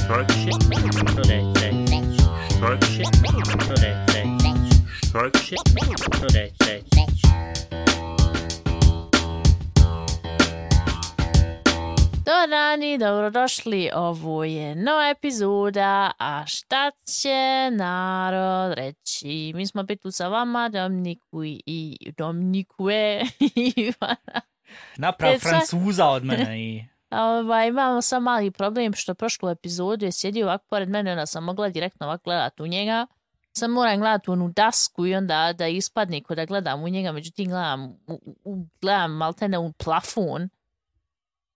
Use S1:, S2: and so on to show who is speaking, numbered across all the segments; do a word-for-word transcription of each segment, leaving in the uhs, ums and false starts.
S1: Talk shit. Today, today. Talk shit. Today, today. Talk shit. Today, today.
S2: Dobar dan i dobrodošli, ovo je nova epizoda, a šta će narod reći? Mi smo opet tu sa vama, Dominiku i Dominikue i Ivana.
S3: Naprav Francuza od mene i...
S2: Ovaj, imamo sam mali problem što prošlu epizodu je sjedio ovako pored mene, onda sam mogla direktno ovako gledati u njega. Sam moram gledati u onu dasku i onda da ispadne ko da gledam u njega, međutim gledam, u, u, gledam maltene u plafon.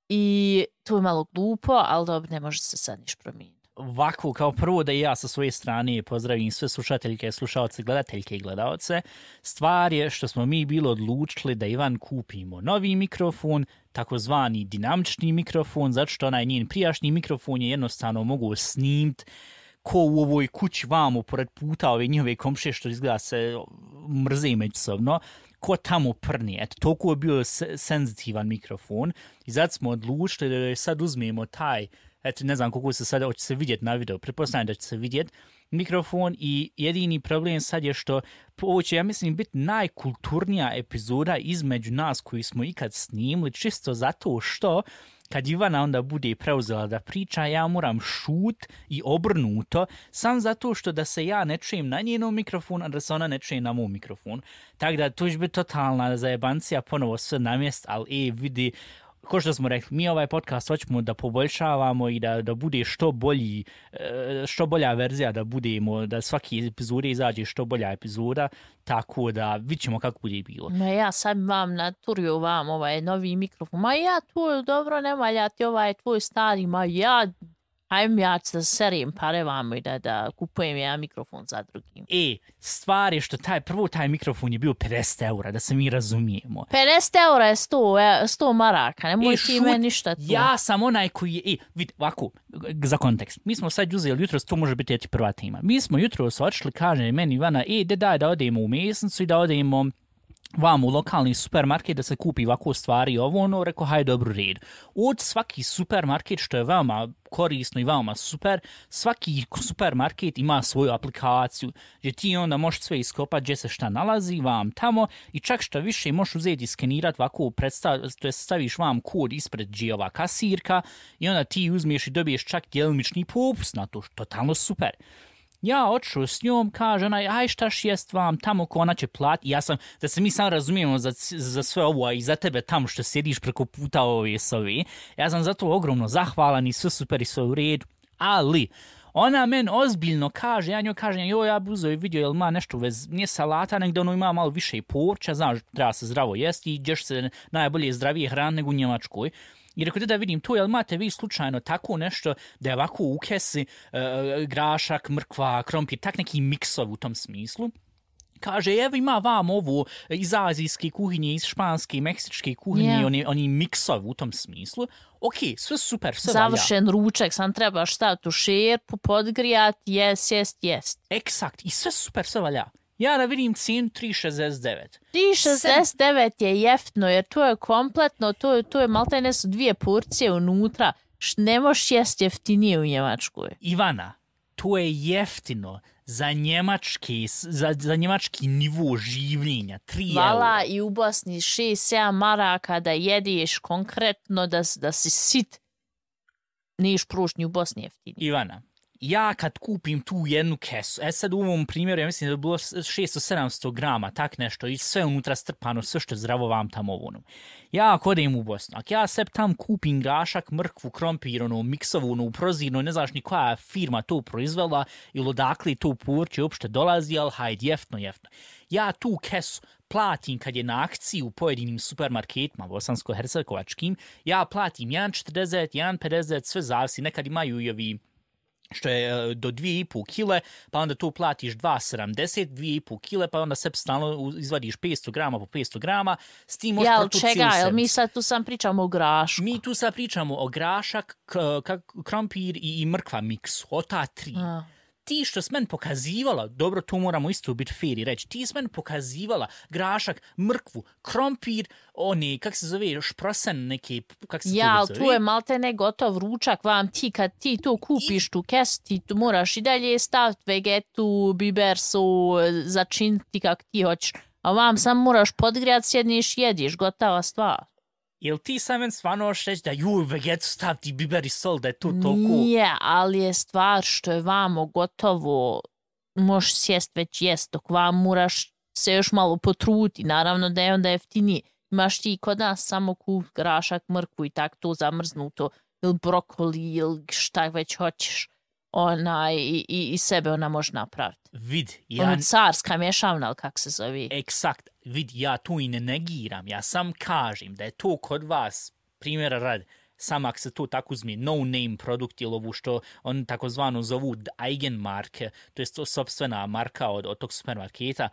S2: I to je malo glupo, ali dobro, ne može se sad niš promijeniti.
S3: Ovako, kao prvo da i ja sa svoje strane pozdravim sve slušateljke, slušalce, gledateljke i gledalce. Stvar je što smo mi bilo odlučili da Ivan kupimo novi mikrofon, takozvani dinamični mikrofon, zato što onaj njen prijašnji mikrofon je jednostavno mogu snimiti ko u ovoj kući vamo, pored puta ove njihove komšije što izgleda se mrze međusobno, ko tamo prni. Eto, toliko je bio senzitivan mikrofon i zato smo odlučili da sad uzmemo taj, eto, ne znam koliko se sad, hoće se vidjeti na video, pretpostavljam da će se vidjeti mikrofon i jedini problem sad je što ovo će, ja mislim, biti najkulturnija epizoda između nas koji smo ikad snimili, čisto zato što kad Ivana onda bude preuzela da priča, ja moram šut i obrnuto, sam zato što da se ja ne čujem na njenom mikrofonu, a da se ona ne čuje na mom mikrofonu. Tako da to će biti totalna zajebancija, ponovo sve na mjest, ali e, vidi, ko što smo rekli, mi ovaj podcast hoćemo da poboljšavamo i da, da bude što bolji, što bolja verzija, da budemo, da svaki epizode izađe što bolja epizoda, tako da vidit ćemo kako bude bilo.
S2: Ma ja sad vam naturio vam ovaj novi mikrofon, ma ja tvoj dobro ne valjati ovaj tvoj stari, ma ja ajme ja da serim pare vam i da, da kupujem ja mikrofon za drugim.
S3: E, stvar je što taj, prvo taj mikrofon je bio pedeset eura, da se mi razumijemo.
S2: pedeset eura je sto, sto maraka, nemoj
S3: e,
S2: ti me ništa tu.
S3: Ja sam onaj koji je, e, vid, ovako, za kontekst, mi smo sad uzeli jutro, to može biti prva tema. Mi smo jutro očili, kaže meni Ivana, e, de daj da odemo u mesnicu i da odemo vam u lokalni supermarket da se kupi ovako stvari ovo, ono, rekao, hajde, dobro red. Od svaki supermarket, što je veoma korisno i veoma super, svaki supermarket ima svoju aplikaciju, gdje ti onda možeš sve iskopati gdje se šta nalazi vam tamo i čak što više možeš uzeti i skenirati ovako, predstav, to je staviš vam kod ispred gdje ova kasirka i onda ti uzmiješ i dobiješ čak djelimični popust na to, totalno super. Ja odšao s njom, kaže onaj, aj štaš jest vam tamo ko ona će plati. Ja sam, da se mi sam razumijemo za, za sve ovo, a i za tebe tamo što sjediš preko puta ove s ove. Ja sam zato ogromno zahvalan i sve super i sve u redu. Ali, ona men ozbiljno kaže, ja njoj kažem, joj, ja bi uzeo i vidio, jel ima nešto vez, nije salata, nego ono ima malo više i povrća, znaš, treba se zdravo jesti i ćeš se najbolje zdravije hrane nego u Njemačkoj. I rekao da vidim to, jel imate vi slučajno tako nešto da je ovako u kesi e, grašak, mrkva, krompir, tak neki miksov u tom smislu. Kaže, evo ima vam ovo iz azijske kuhinje, iz španske, meksičke kuhinje, yeah. oni, oni miksov u tom smislu. Ok, sve super, sve valja.
S2: Završen ručak, sam treba staviti u šerpu, podgrijat, jes, jest, jest.
S3: Eksakt, i sve super, sve valja. Ja da vidim cijenu tri šezdeset devet.
S2: tri šezdeset devet je jeftino, jer to je kompletno, to je, to je maltene su dvije porcije unutra. Ne možeš jesti jeftinije u Njemačkoj.
S3: Ivana, to je jeftino za njemački, za, za njemački nivo življenja. tri eura.
S2: Vala i u Bosni šest sedam maraka da jedeš konkretno, da, da si sit. Niješ prošnji u Bosni jeftinije.
S3: Ivana, ja kad kupim tu jednu kesu, e sad u ovom primjeru ja mislim da je bilo šesto sedamsto grama, tak nešto, i sve unutra strpano, sve što je zdravo vam tamo ono. Ja ako odem u Bosnu, ako ja sebi tam kupim grašak, mrkvu, krompir, ono, miksovu, ono, prozirno, ne znaš ni koja firma to proizvela ili odakle to povrće uopšte dolazi, ali hajde, jeftno, jeftno. Ja tu kesu platim kad je na akciji u pojedinim supermarketima, bosansko-hercegovačkim, ja platim jedan četrdeset, jedan pedeset, sve zavisi, nekad imaju i ovi što je do dvije i pol kile, pa onda tu platiš dva sedamdeset, dvije i pol kile, pa onda sebi stalno izvadiš petsto grama po petsto grama, s tim možeš
S2: protu cijelu sedmicu. Jel čega, jel mi sad tu sam pričamo o grašku?
S3: Mi tu sad pričamo o grašak, k- k- krompir i, i mrkva miksu, o ta tri. A. ti što s men pokazivala, dobro, tu moramo isto biti fair i reći, ti s men pokazivala grašak, mrkvu, krompir, oni, kak se zove, šprosen neki, kak se
S2: ja,
S3: to zove?
S2: Ja, tu je malte ne gotov ručak vam ti, kad ti to kupiš tu kesu, ti tu moraš i dalje staviti vegetu, biber su, začiniti kak ti hoćeš. A vam sam moraš podgrijat, sjedniš, jediš, gotova stvar.
S3: Jel ti sam men stvarno hoćeš reći da juj, vegetu staviti biber i sol, da je to toliko?
S2: Nije, ali je stvar što je vamo gotovo, možeš sjest već jest, dok vam moraš se još malo potruti, naravno da je onda jeftinije. Imaš ti kod nas samo kup grašak, mrkvu i tak to zamrznuto, ili brokoli, ili šta već hoćeš, onaj, i, i, i sebe ona može napraviti.
S3: Vid, ja...
S2: Ono carska mješavna, ali kak se zove?
S3: Eksakt, vid, ja tu i ne negiram, ja sam kažem da je to kod vas, primjera radi, sam ako se to tako uzme, no-name produkt ili ovu što on takozvano zovu Eigenmarke, to je to sopstvena marka od, od tog supermarketa,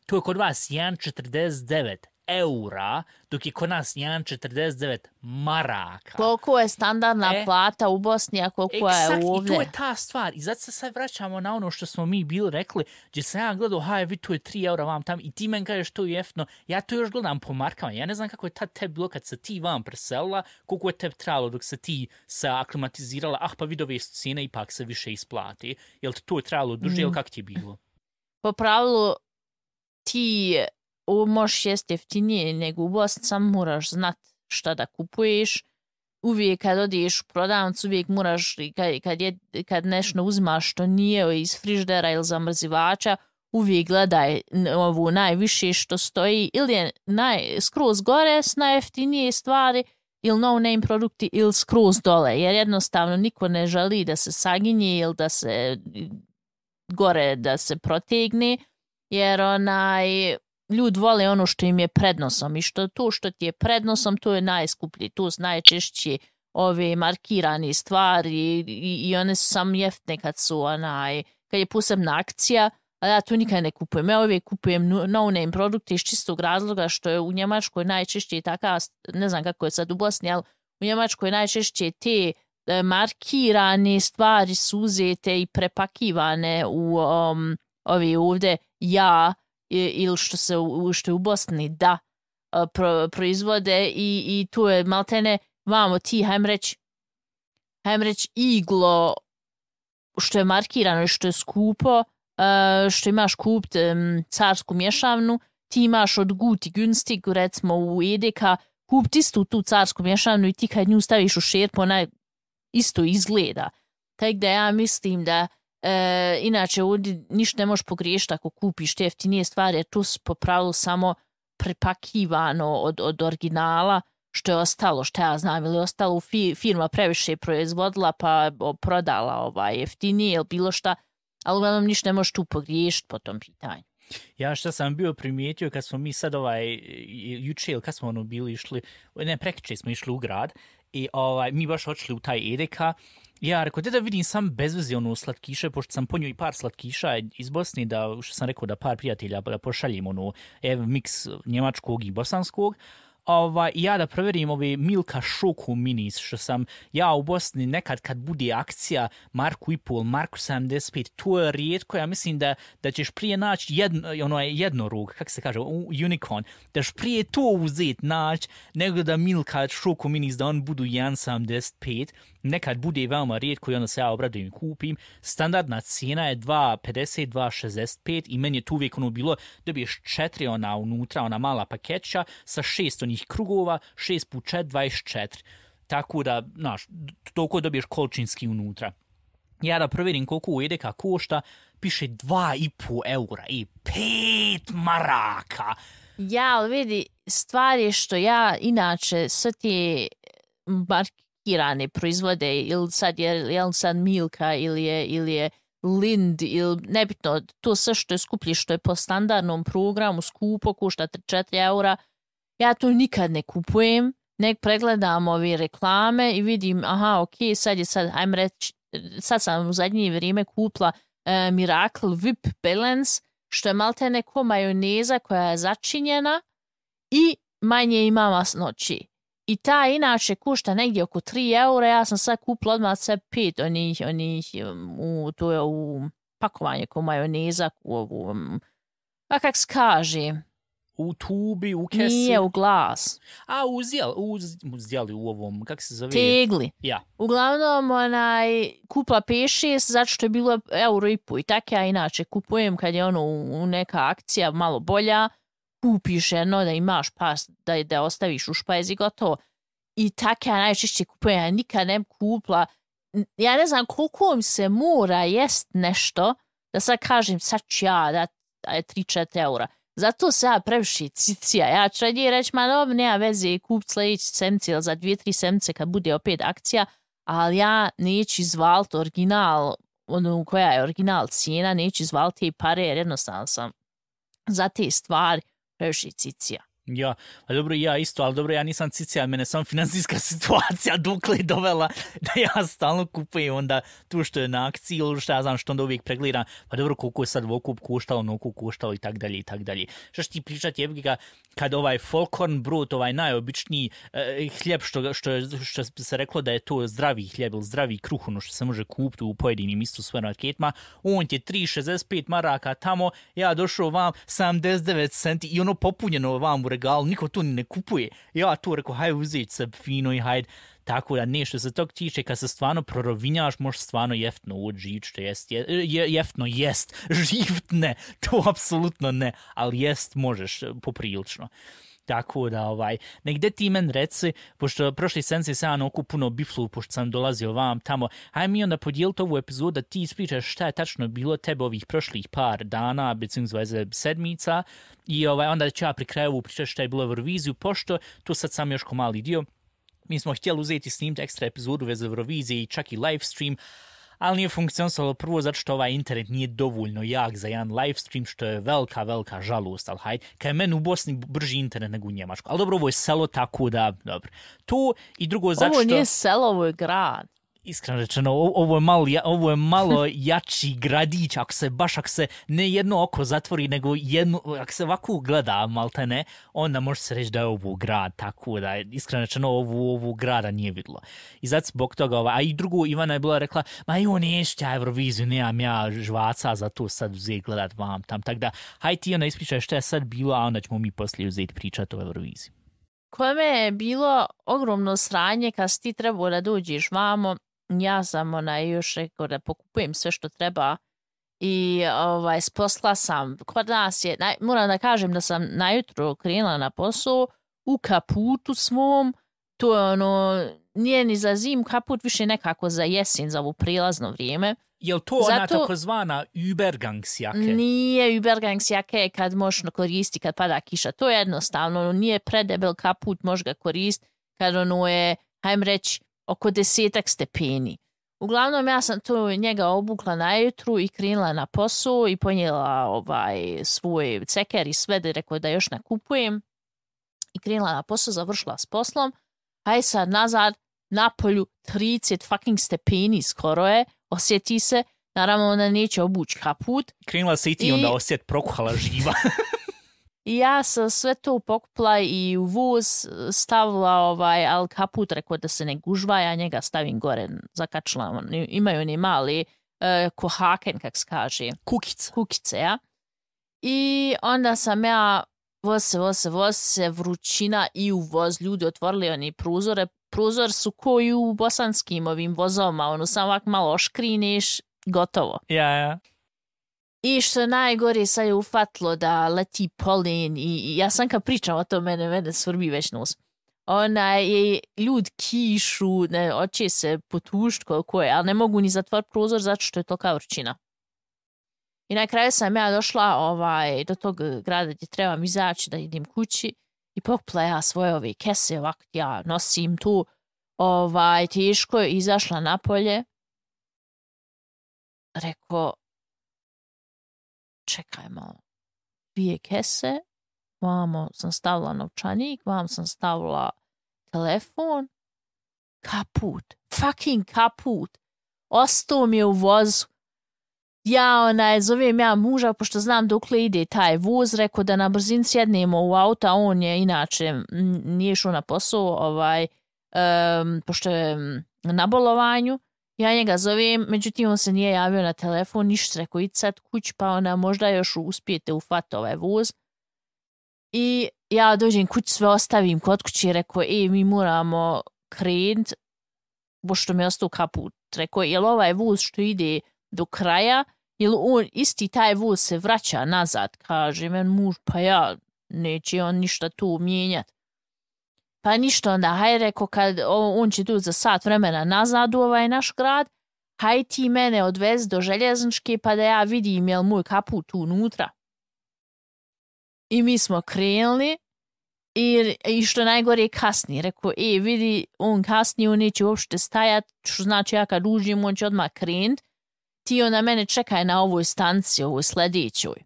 S3: to je kod vas jedan zarez četrdeset devet eura, dok je kod nas jedan zarez četrdeset devet maraka.
S2: Koliko je standardna
S3: e,
S2: plata u Bosni, a koliko
S3: eksakt,
S2: je ovdje?
S3: I to je ta stvar. I zato se sad vraćamo na ono što smo mi bili rekli, gdje sam ja gledao, haj, vi tu je tri eura vam tam, i ti men kažeš to je jeftino. Ja to još gledam po markama. Ja ne znam kako je tad tebi bilo kad se ti vam preselila, koliko je tebi trebalo dok se ti se aklimatizirala, ah, pa vidove su cijene, ipak se više isplati. Jel ti to je trebalo duže, mm. ili kako ti je bilo?
S2: Po pravilu, ti ovo možeš jesti jeftinije nego u Bosni, sam moraš znat šta da kupuješ. Uvijek kad odiješ u prodavnicu, uvijek moraš, kad, kad, je, kad nešto uzimaš što nije iz friždera ili zamrzivača, uvijek gledaj ovu najviše što stoji, ili je naj, skroz gore s najjeftinije stvari, ili no-name produkti, ili skroz dole, jer jednostavno niko ne želi da se saginje ili da se gore da se protegne, jer onaj... Ljudi vole ono što im je prednosom i što to što ti je prednosom, to je najskuplji. Tu su najčešće ove markirane stvari i, i one su samo jeftine kad su onaj, kad je posebna akcija, a ja to nikad ne kupujem. Ja uvijek kupujem no-name produkte iz čistog razloga što je u Njemačkoj najčešće taka, ne znam kako je sad u Bosni, ali u Njemačkoj najčešće te markirane stvari su uzete i prepakivane u um, ovi ovdje ja ili što se što je u Bosni da pro, proizvode i, i tu je maltene vamo ti, hajmo reći hajmo reći iglo što je markirano i što je skupo, što imaš kupit carsku mješavnu, ti imaš od Guti Günstig, recimo u Edeka, kupit istu tu carsku mješavnu i ti kad nju staviš u šerpu, ona isto izgleda. Tako da ja mislim da E, inače ovdje ništa ne možeš pogriješiti ako kupiš te jeftinije stvari, jer tu su po pravilu samo prepakivano od, od originala što je ostalo, što ja znam, ili ostalo u fi, firma previše proizvodila pa prodala ovaj jeftinije ili bilo šta, ali uglavnom ništa ne možeš tu pogriješiti po tom pitanju.
S3: Ja što sam bio primijetio kad smo mi sad ovaj juče ili kad smo ono bili išli, ne prekriče smo išli u grad i ovaj, mi baš odšli u taj Edeka. Ja rekao, da vidim sam bezvezi ono slatkiše, pošto sam ponio i par slatkiša iz Bosne, da, što sam rekao da par prijatelja da pošaljem ono, ev, miks njemačkog i bosanskog. Ovaj, ja da provjerim ove Milka Šoku minis, što sam ja u Bosni nekad kad bude akcija Marku i pol, Marku sedamdeset pet, to je rijetko, ja mislim da, da ćeš prije naći jedno, ono je jednorog, kako se kaže, unicorn, da ćeš prije to uzeti naći, nego da Milka Šoku minis da on budu jedan zarez sedamdeset pet, nekad bude veoma rijetko i onda se ja obradujem i kupim. Standardna cijena je dva pedeset, dva šezdeset pet i meni je tu uvijek ono bilo, dobiješ četiri ona unutra, ona mala pakeća sa šest onih krugova, šest puta četiri, dvadeset četiri. Tako da, znaš, toliko dobiješ količinski unutra. Ja da provjerim koliko u Edeka košta, piše dva i po eura i pet maraka.
S2: Ja, ali vidi, stvar je što ja inače sve te markirane proizvode, ili sad je, je sad Milka, ili je, ili je Lind, ili nebitno, to sve što je skuplje, što je po standardnom programu skupo, košta tri četiri eura, ja to nikad ne kupujem, nek pregledam ove reklame i vidim, aha, ok, sad je sad, ajmo reći, sad sam u zadnje vrijeme kupila uh, Miracle Whip Balance, što je malte neko majoneza koja je začinjena i manje ima masnoći. I ta inače košta negdje oko tri eura, ja sam sad kupila odmah sve pet onih, onih u, to je u pakovanje ko majoneza u ovu, a kak se kaže?
S3: U tubi, u kesi?
S2: Nije, u glas.
S3: A, uzjel, uz, uzjeli u ovom, kak se zove?
S2: Tegli.
S3: Ja.
S2: Uglavnom, onaj, kupla pet šest, zato što je bilo euro i po. I tako ja inače kupujem kad je ono u, u neka akcija malo bolja, kupiš jedno da imaš pas, da, da ostaviš u špajzi gotovo. I tako ja najčešće kupujem, ja nikad ne kupla. Ja ne znam koliko mi se mora jest nešto, da sad kažem, sad ću ja da je tri četiri eura. Zato se ja previše cicija. Ja ću radije reći, ma dobro, nema veze, kup sljedeći semci ili za dvije, tri semce kad bude opet akcija, ali ja neću izvaliti original, ono koja je original cijena, neću izvaliti te pare, jer jednostavno sam za te stvari previše cicija.
S3: Ja, a dobro ja isto, ali dobro ja nisam cicija, mene sam financijska situacija dokle je dovela da ja stalno kupujem onda tu što je na akciji ili što ja znam što onda uvijek pregledam, pa dobro koliko je sad vokup koštalo, nokup koštalo i tak dalje i tak dalje. Što ću ti pričati je kad ovaj Folkhorn brod, ovaj najobičniji eh, hljeb što, što, je, što se reklo da je to zdravi hljeb ili zdravi kruh, ono što se može kupiti u pojedinim isto supermarketima, on je tri šezdeset pet maraka tamo, ja došao vam sedamdeset devet centi i ono popunjeno vam u regalu, niko tu ni ne kupuje. Ja tu rekao, hajde uzeti se fino i hajde. Tako da ne, što se tog tiče, kad se stvarno prorovinjaš, možeš stvarno jeftno uđi, što jest, je, je, jeftno jest, živt ne, to apsolutno ne, ali jest možeš poprilično. Tako da, ovaj, negde ti men reci, pošto prošli senci sam oku puno biflu, pošto sam dolazio vam tamo, hajde mi onda podijeliti ovu epizodu da ti ispričaš šta je tačno bilo tebe ovih prošlih par dana, beziehungsweise sedmica, i ovaj, onda ću ja pri kraju pričati šta je bilo u Euroviziju, pošto tu sad sam još ko mali dio, mi smo htjeli uzeti snimiti ekstra epizodu veze Eurovizije i čak i live stream, ali nije funkcionisalo prvo zato što ovaj internet nije dovoljno jak za jedan live stream, što je velika, velika žalost, ali hajde, kad je meni u Bosni brži internet nego u Njemačku. Ali dobro, ovo je selo, tako da, dobro. To i drugo zato što...
S2: Ovo nije selo, ovo je grad.
S3: Iskreno rečeno, ovo je malo, ovo je malo jači gradić, ako se baš, ako se ne jedno oko zatvori, nego jedno, ako se ovako gleda, malte ne, onda može se reći da je ovo grad, tako da, iskreno rečeno, ovo, ovo grada nije vidlo. I zato zbog toga, a i drugo, Ivana je bila rekla, ma jo, neću ja Euroviziju, nemam ja žvaca za to sad uzeti gledat vam tam, tako da, hajde ti ona ispričaj šta je sad bilo, a onda ćemo mi poslije uzeti pričati o Euroviziji.
S2: Kome je bilo ogromno sranje kad si ti trebao da dođeš vamo, ja sam ona još rekao da pokupujem sve što treba i ovaj, sposla sam, kod nas je, naj, moram da kažem da sam najutro krenula na posao u kaputu svom, to je ono, nije ni za zim kaput, više nekako za jesen, za ovo prilazno vrijeme.
S3: Je li to ona Zato, takozvana Übergangs jake?
S2: Nije Übergangs jake kad možeš koristiti kad pada kiša, to je jednostavno, nije predebel kaput, možeš ga koristiti kad ono je, hajmo reći, oko desetak stepeni. Uglavnom ja sam to njega obukla najutru i krenula na posao i ponijela ovaj, svoj ceker i sve da rekao da još nakupujem. I krenula na posao, završila s poslom. Aj sad nazad, na polju trideset fucking stepeni skoro je, osjeti se, naravno ona neće obući kaput.
S3: Krenula se i ti I... onda osjet prokuhala živa.
S2: I ja sam sve to pokupla i u voz stavila, ovaj, ali kaput rekao da se ne gužva, ja njega stavim gore, zakačila, imaju oni mali uh, kohaken, kak se kaže.
S3: Kukice.
S2: Kukice, ja. I onda sam ja voz se, voz se, voz se, vrućina i u voz, ljudi otvorili oni prozore. Prozor su koji u bosanskim ovim vozovima, ono samo ovako malo oškrineš, gotovo.
S3: Ja, ja.
S2: I što najgore sad je ufatlo da leti polen i, i ja sam kad pričam o to, mene, mene svrbi već nos. Ona je ljud kišu, ne, oće se potušt koliko je, ali ne mogu ni zatvor prozor zato što je tolika vrućina. I na kraju sam ja došla ovaj, do tog grada gdje trebam izaći da idem kući i pokupla ja svoje ove kese, ovako ja nosim tu, ovaj, teško je izašla napolje. Rekao, čekaj malo, dvije kese, vamo sam stavila novčanik, vam sam stavila telefon, kaput, fucking kaput, ostao mi je u vozu. Ja onaj, zovem ja muža, pošto znam dokle ide taj voz, rekao da na brzin sjednemo u auto, a on je inače nije šao na posao, ovaj, um, pošto je na bolovanju, Ja njega zovem, međutim on se nije javio na telefon, ništa, rekao idi sad kuć, pa ona možda još uspijete ufati ovaj voz. I ja dođem kuć, sve ostavim kod kuće, rekao, e, mi moramo krenut, pošto mi je ostao kaput. Rekao, jel ovaj voz što ide do kraja, jel on, isti taj voz se vraća nazad, kaže men muž, pa ja, neće on ništa tu mijenjati. Pa ništa onda, haj rekao, kad on će tu za sat vremena nazad u ovaj naš grad, haj ti mene odvez do željezničke pa da ja vidim jel moj kaput tu unutra. I mi smo krenuli i, i što najgore kasni. Rekao, e, vidi, on kasni, on neće uopšte stajat, što znači ja kad uđem, on će odmah krenut. Ti onda mene čekaj na ovoj stanci, ovoj sljedećoj.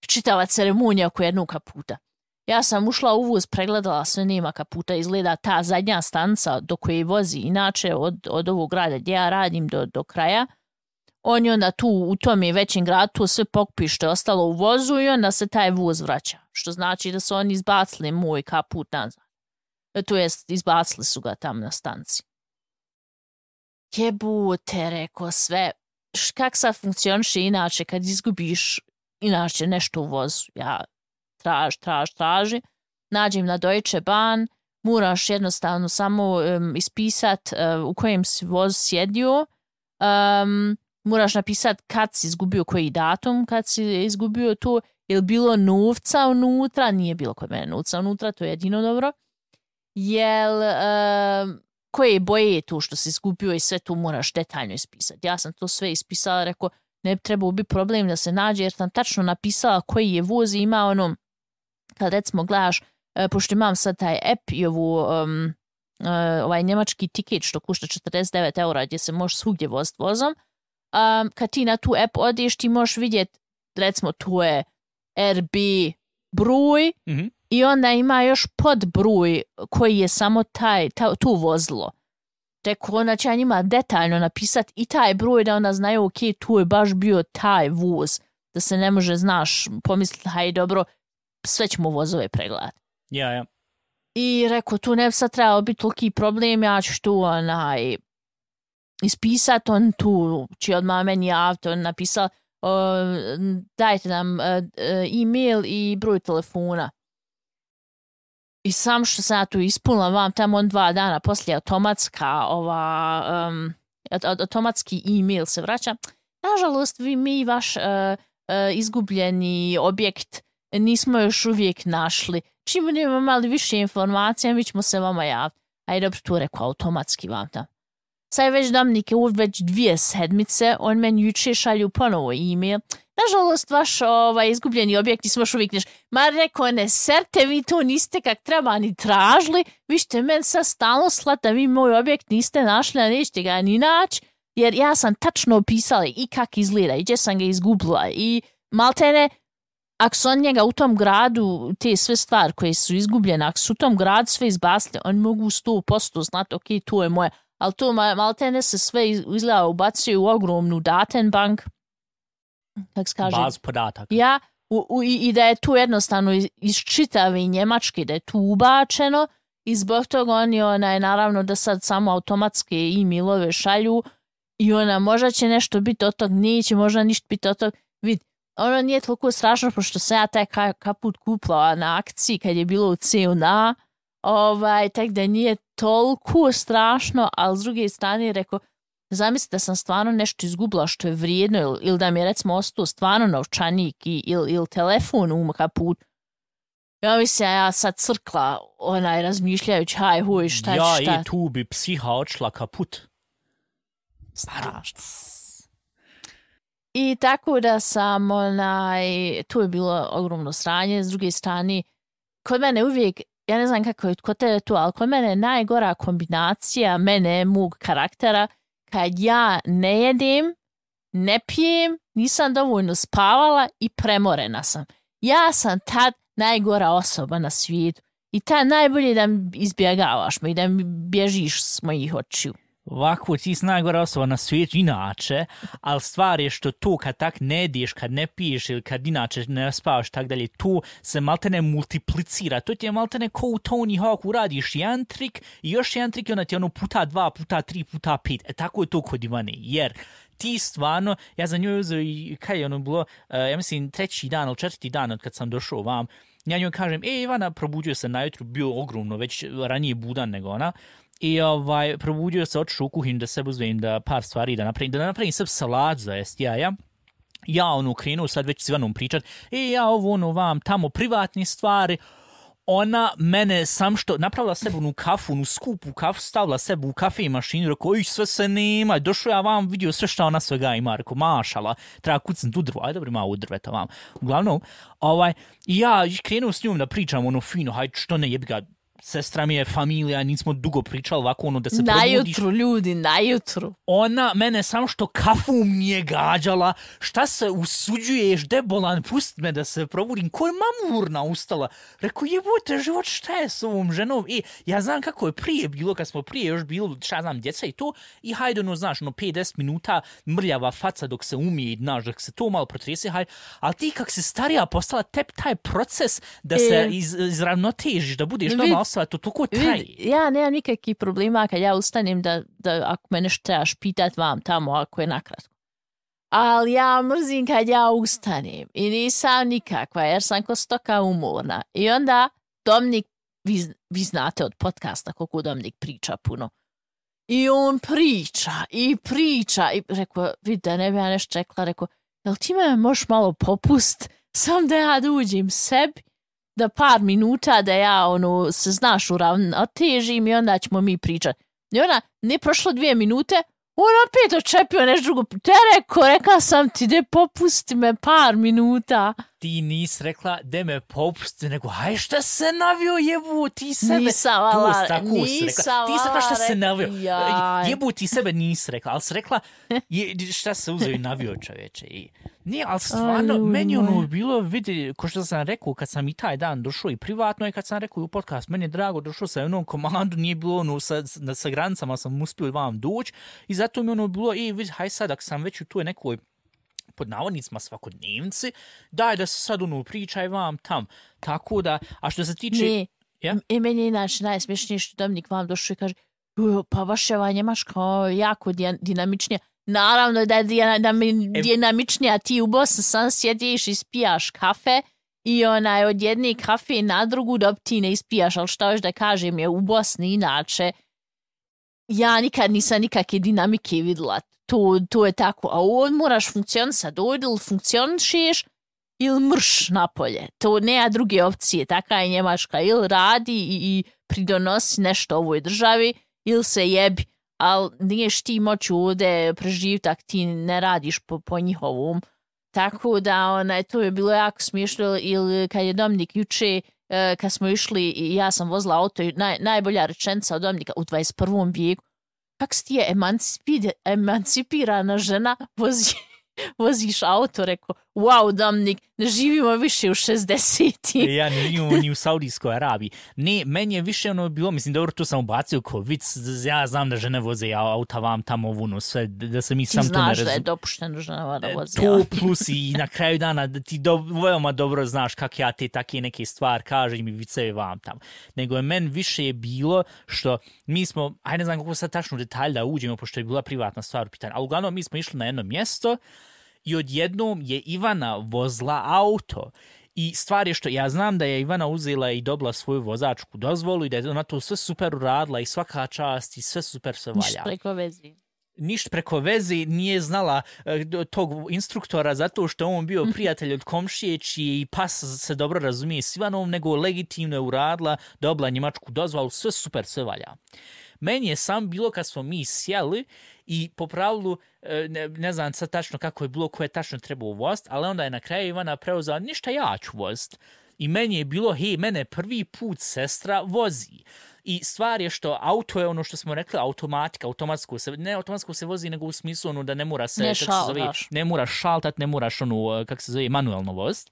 S2: Čitava ceremonija oko jednog kaputa. Ja sam ušla u voz, pregledala sve, nema kaputa, izgleda ta zadnja stanca do koje vozi, inače od, od ovog grada gdje ja radim do, do kraja. On je onda tu u tom je većem gradu, tu sve pokupi što je ostalo u vozu i onda se taj voz vraća. Što znači da su oni izbacili moj kaput nazad. To jest, izbacili su ga tam na stanci. Jebute, rekao sve. Kak sad funkcioniše inače kad izgubiš inače nešto u vozu? Ja traž, traž, traži. Nađem na Deutsche Bahn, moraš jednostavno samo um, ispisat uh, u kojem si voz sjedio. Um, moraš napisat kad si izgubio koji datum, kad si izgubio to, je li bilo novca unutra, nije bilo kod mene novca unutra, to je jedino dobro. Jel, um, koje boje je to što si izgubio i sve to moraš detaljno ispisati. Ja sam to sve ispisala, rekao, ne bi trebao biti problem da se nađe, jer sam tačno napisala koji je voz i ima ono, kad recimo gledaš, uh, pošto imam sad taj app i ovu, um, uh, ovaj njemački tiket što košta četrdeset devet eura gdje se možeš svugdje voziti vozom, um, kad ti na tu app odeš, ti možeš vidjeti, recimo, to je R B broj, mm-hmm. i onda ima još podbroj koji je samo taj, ta, tu vozilo. Tako onda će ja njima detaljno napisati i taj broj da onda znaju, ok, tu je baš bio taj voz, da se ne može, znaš, pomisliti, haj dobro, sve ćemo vozove pregledati.
S3: Ja, ja.
S2: I rekao, tu ne bi sad trebalo biti toliki problem, ja ću tu onaj ispisati, on tu će odmah meni javiti, on napisao, uh, dajte nam uh, e-mail i broj telefona. I sam što sam ja tu ispunila vam tamo on dva dana poslije automatska ova, um, automatski e-mail se vraća. Nažalost, vi mi vaš uh, uh, izgubljeni objekt nismo još uvijek našli. Čim budemo imali više informacija, mi ćemo se vama javiti. Ajde, dobro, tu rekao automatski vam tamo. Sad već Dominike, već dvije sedmice, on meni juče šalju ponovo e-mail. Nažalost, vaš ovaj, izgubljeni objekt nismo još uvijek neš. Ma rekao, ne serte, vi to niste kak treba ni tražili, vi ćete meni sad stalno slati da vi moj objekt niste našli, a nećete ga ni naći, jer ja sam tačno opisala i kak izgleda, i gdje sam ga izgubila, i maltene, ako su on njega u tom gradu, te sve stvari koje su izgubljene, ako su u tom gradu sve izbacili, oni mogu sto posto znati, ok, to je moje, ali to maltene se sve izgleda ubacuju u ogromnu datenbank, kako se kaže,
S3: baz podataka.
S2: Ja, u, u, i da je tu jednostavno iz, iz čitave Njemačke, da je tu ubačeno i zbog toga oni onaj, naravno da sad samo automatske e-mailove šalju i ona možda će nešto biti od tog, neće možda ništa biti od tog. Vid, ono nije toliko strašno pošto sam ja taj kaput kupila na akciji kad je bilo u C N A, ovaj, tak da nije toliko strašno, ali s druge strane rekao, zamislite da sam stvarno nešto izgubila što je vrijedno ili, ili da mi je recimo ostao stvarno novčanik ili, ili telefon u kaput. Ja mislim, ja sad crkla onaj razmišljajući, haj, huj, šta je
S3: ja,
S2: šta.
S3: Ja, i tu bi psiha odšla kaput.
S2: Strašno. I tako da sam, onaj, tu je bilo ogromno sranje, s druge strane, kod mene uvijek, ja ne znam kako je kod tebe tu, ali kod mene je najgora kombinacija mene, mog karaktera, kad ja ne jedem, ne pijem, nisam dovoljno spavala i premorena sam. Ja sam tad najgora osoba na svijetu. I tad najbolje da mi izbjegavaš me i da mi bježiš s mojih očiju.
S3: Ovako, ti si najgora osoba na svijetu inače, ali stvar je što to kad tak ne jedeš, kad ne piješ ili kad inače ne spavaš tak dalje, to se maltene multiplicira. To ti je maltene ko u Tony Hawku, radiš jedan trik i još jedan trik i onda ti je ono puta dva, puta tri, puta pet. E tako je to kod Ivane, jer ti stvarno, ja za njoj uzeo i kaj je ono bilo, uh, ja mislim treći dan ili četvrti dan od kad sam došao vam, ja njoj kažem, e Ivana, probudio se najutru, bio ogromno, već ranije budan nego ona, i ovaj, probudio se, otišao u kuhinju da sebe uzmem da par stvari da napravim, da napravim sebe salatu za jest jaja. Ja ono krenuo sad već s Ivanom pričat, e ja ovo ono vam tamo privatne stvari, ona mene sam što napravila sebi onu kafu, onu skupu kafu, stavila sebi u kafe mašinu, rekao, oj, sve se nema, došao ja vam, vidio sve što ona svega ima, rekao, mašala, treba kucnut u drvo, aj dobro ima u drveta vam. Uglavnom, ovaj, i ja krenuo s njom da pričam ono fino, hajde što ne jebi ga, sestra mi je familija, nismo dugo pričali ovako ono da se probudiš.
S2: Najutru ljudi, najutru.
S3: Ona mene samo što kafu mi je gađala, šta se usuđuješ, debolan, pust me da se probudim, ko je mamurna ustala. Rekao, jebote život, šta je s ovom ženom? I ja znam kako je prije bilo, kad smo prije još bilo, šta znam, djeca i to, i hajde ono, znaš, ono, pet do deset minuta mrljava faca dok se umije, znaš, dok se to malo protrese, hajde, ali ti kak se starija postala, tep taj proces da se e, iz, izravnotežiš, da budeš normalno osoba, to toliko traje.
S2: Ja nemam nikakvih problema kad ja ustanem da, da ako me nešto trebaš pitat vam tamo, ako je nakratko. Ali ja mrzim kad ja ustanem i nisam nikakva, jer sam ko stoka umorna. I onda Dominik, vi, vi znate od podcasta koliko Dominik priča puno. I on priča i priča i rekao, vidi da ne bi ja nešto rekla, rekao, jel ti me možeš malo popust, sam da ja dođem sebi, da par minuta da ja ono se znaš uravnotežim i onda ćemo mi pričati. I ona, ne prošlo dvije minute, on opet očepio nešto drugo. Te rekao, rekla sam ti, de popusti me par minuta.
S3: Ti nis rekla, de me popusti, nego, haj šta se navio, jebu, ti sebe.
S2: Nisam vala,
S3: nisam ti vala, šta se navio. Jaj. Jebu, ti sebe nis rekla, ali si rekla, je, šta se uzeo i navio čoveče. I, nije, ali stvarno, Aj, meni ono bilo, vidi, ko što sam rekao, kad sam i taj dan došao i privatno, i kad sam rekao u podcast, meni je drago, došao sam u jednom komandu, nije bilo ono, sa, sa granicama sam uspio vam doći, i zato mi ono bilo, i vidi, haj sad, ako sam već u toj nekoj pod navodnicima svakodnevnici, daj da se sad ono pričaj vam tam. Tako da, a što se tiče...
S2: Ne, ja? I meni je inače najsmješnije što Dominik vam došao i kaže, pa baš je ova Njemaška jako dinamičnija. Naravno da je dinamičnija, ti u Bosni sam sjediš i spijaš kafe i onaj od jedne kafe na drugu dok ti ne ispijaš, ali što još da kažem je u Bosni inače, ja nikad nisam nikakve dinamike vidjela. To, to je tako, a on moraš funkcionisati, dojde ili funkcionišeš ili mrš napolje. To nema druge opcije, taka je Njemačka, ili radi i, i pridonosi nešto ovoj državi, ili se jebi, ali niješ ti moći ovdje preživiti ako ti ne radiš po, po njihovom. Tako da onaj, to je bilo jako smiješno, ili kad je Dominik juče, kad smo išli i ja sam vozila auto, naj, najbolja rečenica od Dominika u dvadeset prvom vijeku, kak si ti je emancipir, emancipirana žena, vozi, voziš auto, rekao, wow, Dominik, ne živimo više u šezdesetim.
S3: Ja ne živimo ni u Saudijskoj Arabiji. Ne, meni je više ono bilo, mislim, dobro, to sam ubacio ko vic, ja znam da žene voze auta vam tamo vuno, sve, da se mi
S2: ti
S3: sam to ne razum...
S2: Ti znaš da je dopušteno žena da voze
S3: to plus i na kraju dana ti do, veoma dobro znaš kak ja te take neke stvari kažem i vicevi vam tamo. Nego je meni više je bilo što mi smo, aj ne znam kako sad tačno detalj da uđemo, pošto je bila privatna stvar u pitanju, ali uglavnom mi smo išli na jedno mjesto i odjednom je Ivana vozila auto. I stvar je što ja znam da je Ivana uzela i dobila svoju vozačku dozvolu i da je ona to sve super uradila i svaka čast i sve super se valja.
S2: Ništa preko veze.
S3: Ništa preko veze, nije znala uh, tog instruktora zato što on bio prijatelj od komšije čiji pas se dobro razumije s Ivanom, nego legitimno je uradila, dobila njemačku dozvolu, sve super se valja. Meni je sam bilo kad smo mi sjeli i po pravilu, ne, ne znam sad tačno kako je bilo, ko je tačno trebao voziti, ali onda je na kraju Ivana preuzela, ništa ja ću voziti. I meni je bilo, hej, mene prvi put sestra vozi. I stvar je što auto je ono što smo rekli, automatika, automatsko se, ne automatsko se vozi, nego u smislu ono da ne mora se,
S2: ne,
S3: kako se zove, ne moraš šaltat, ne moraš ono, kako se zove, manuelno voziti.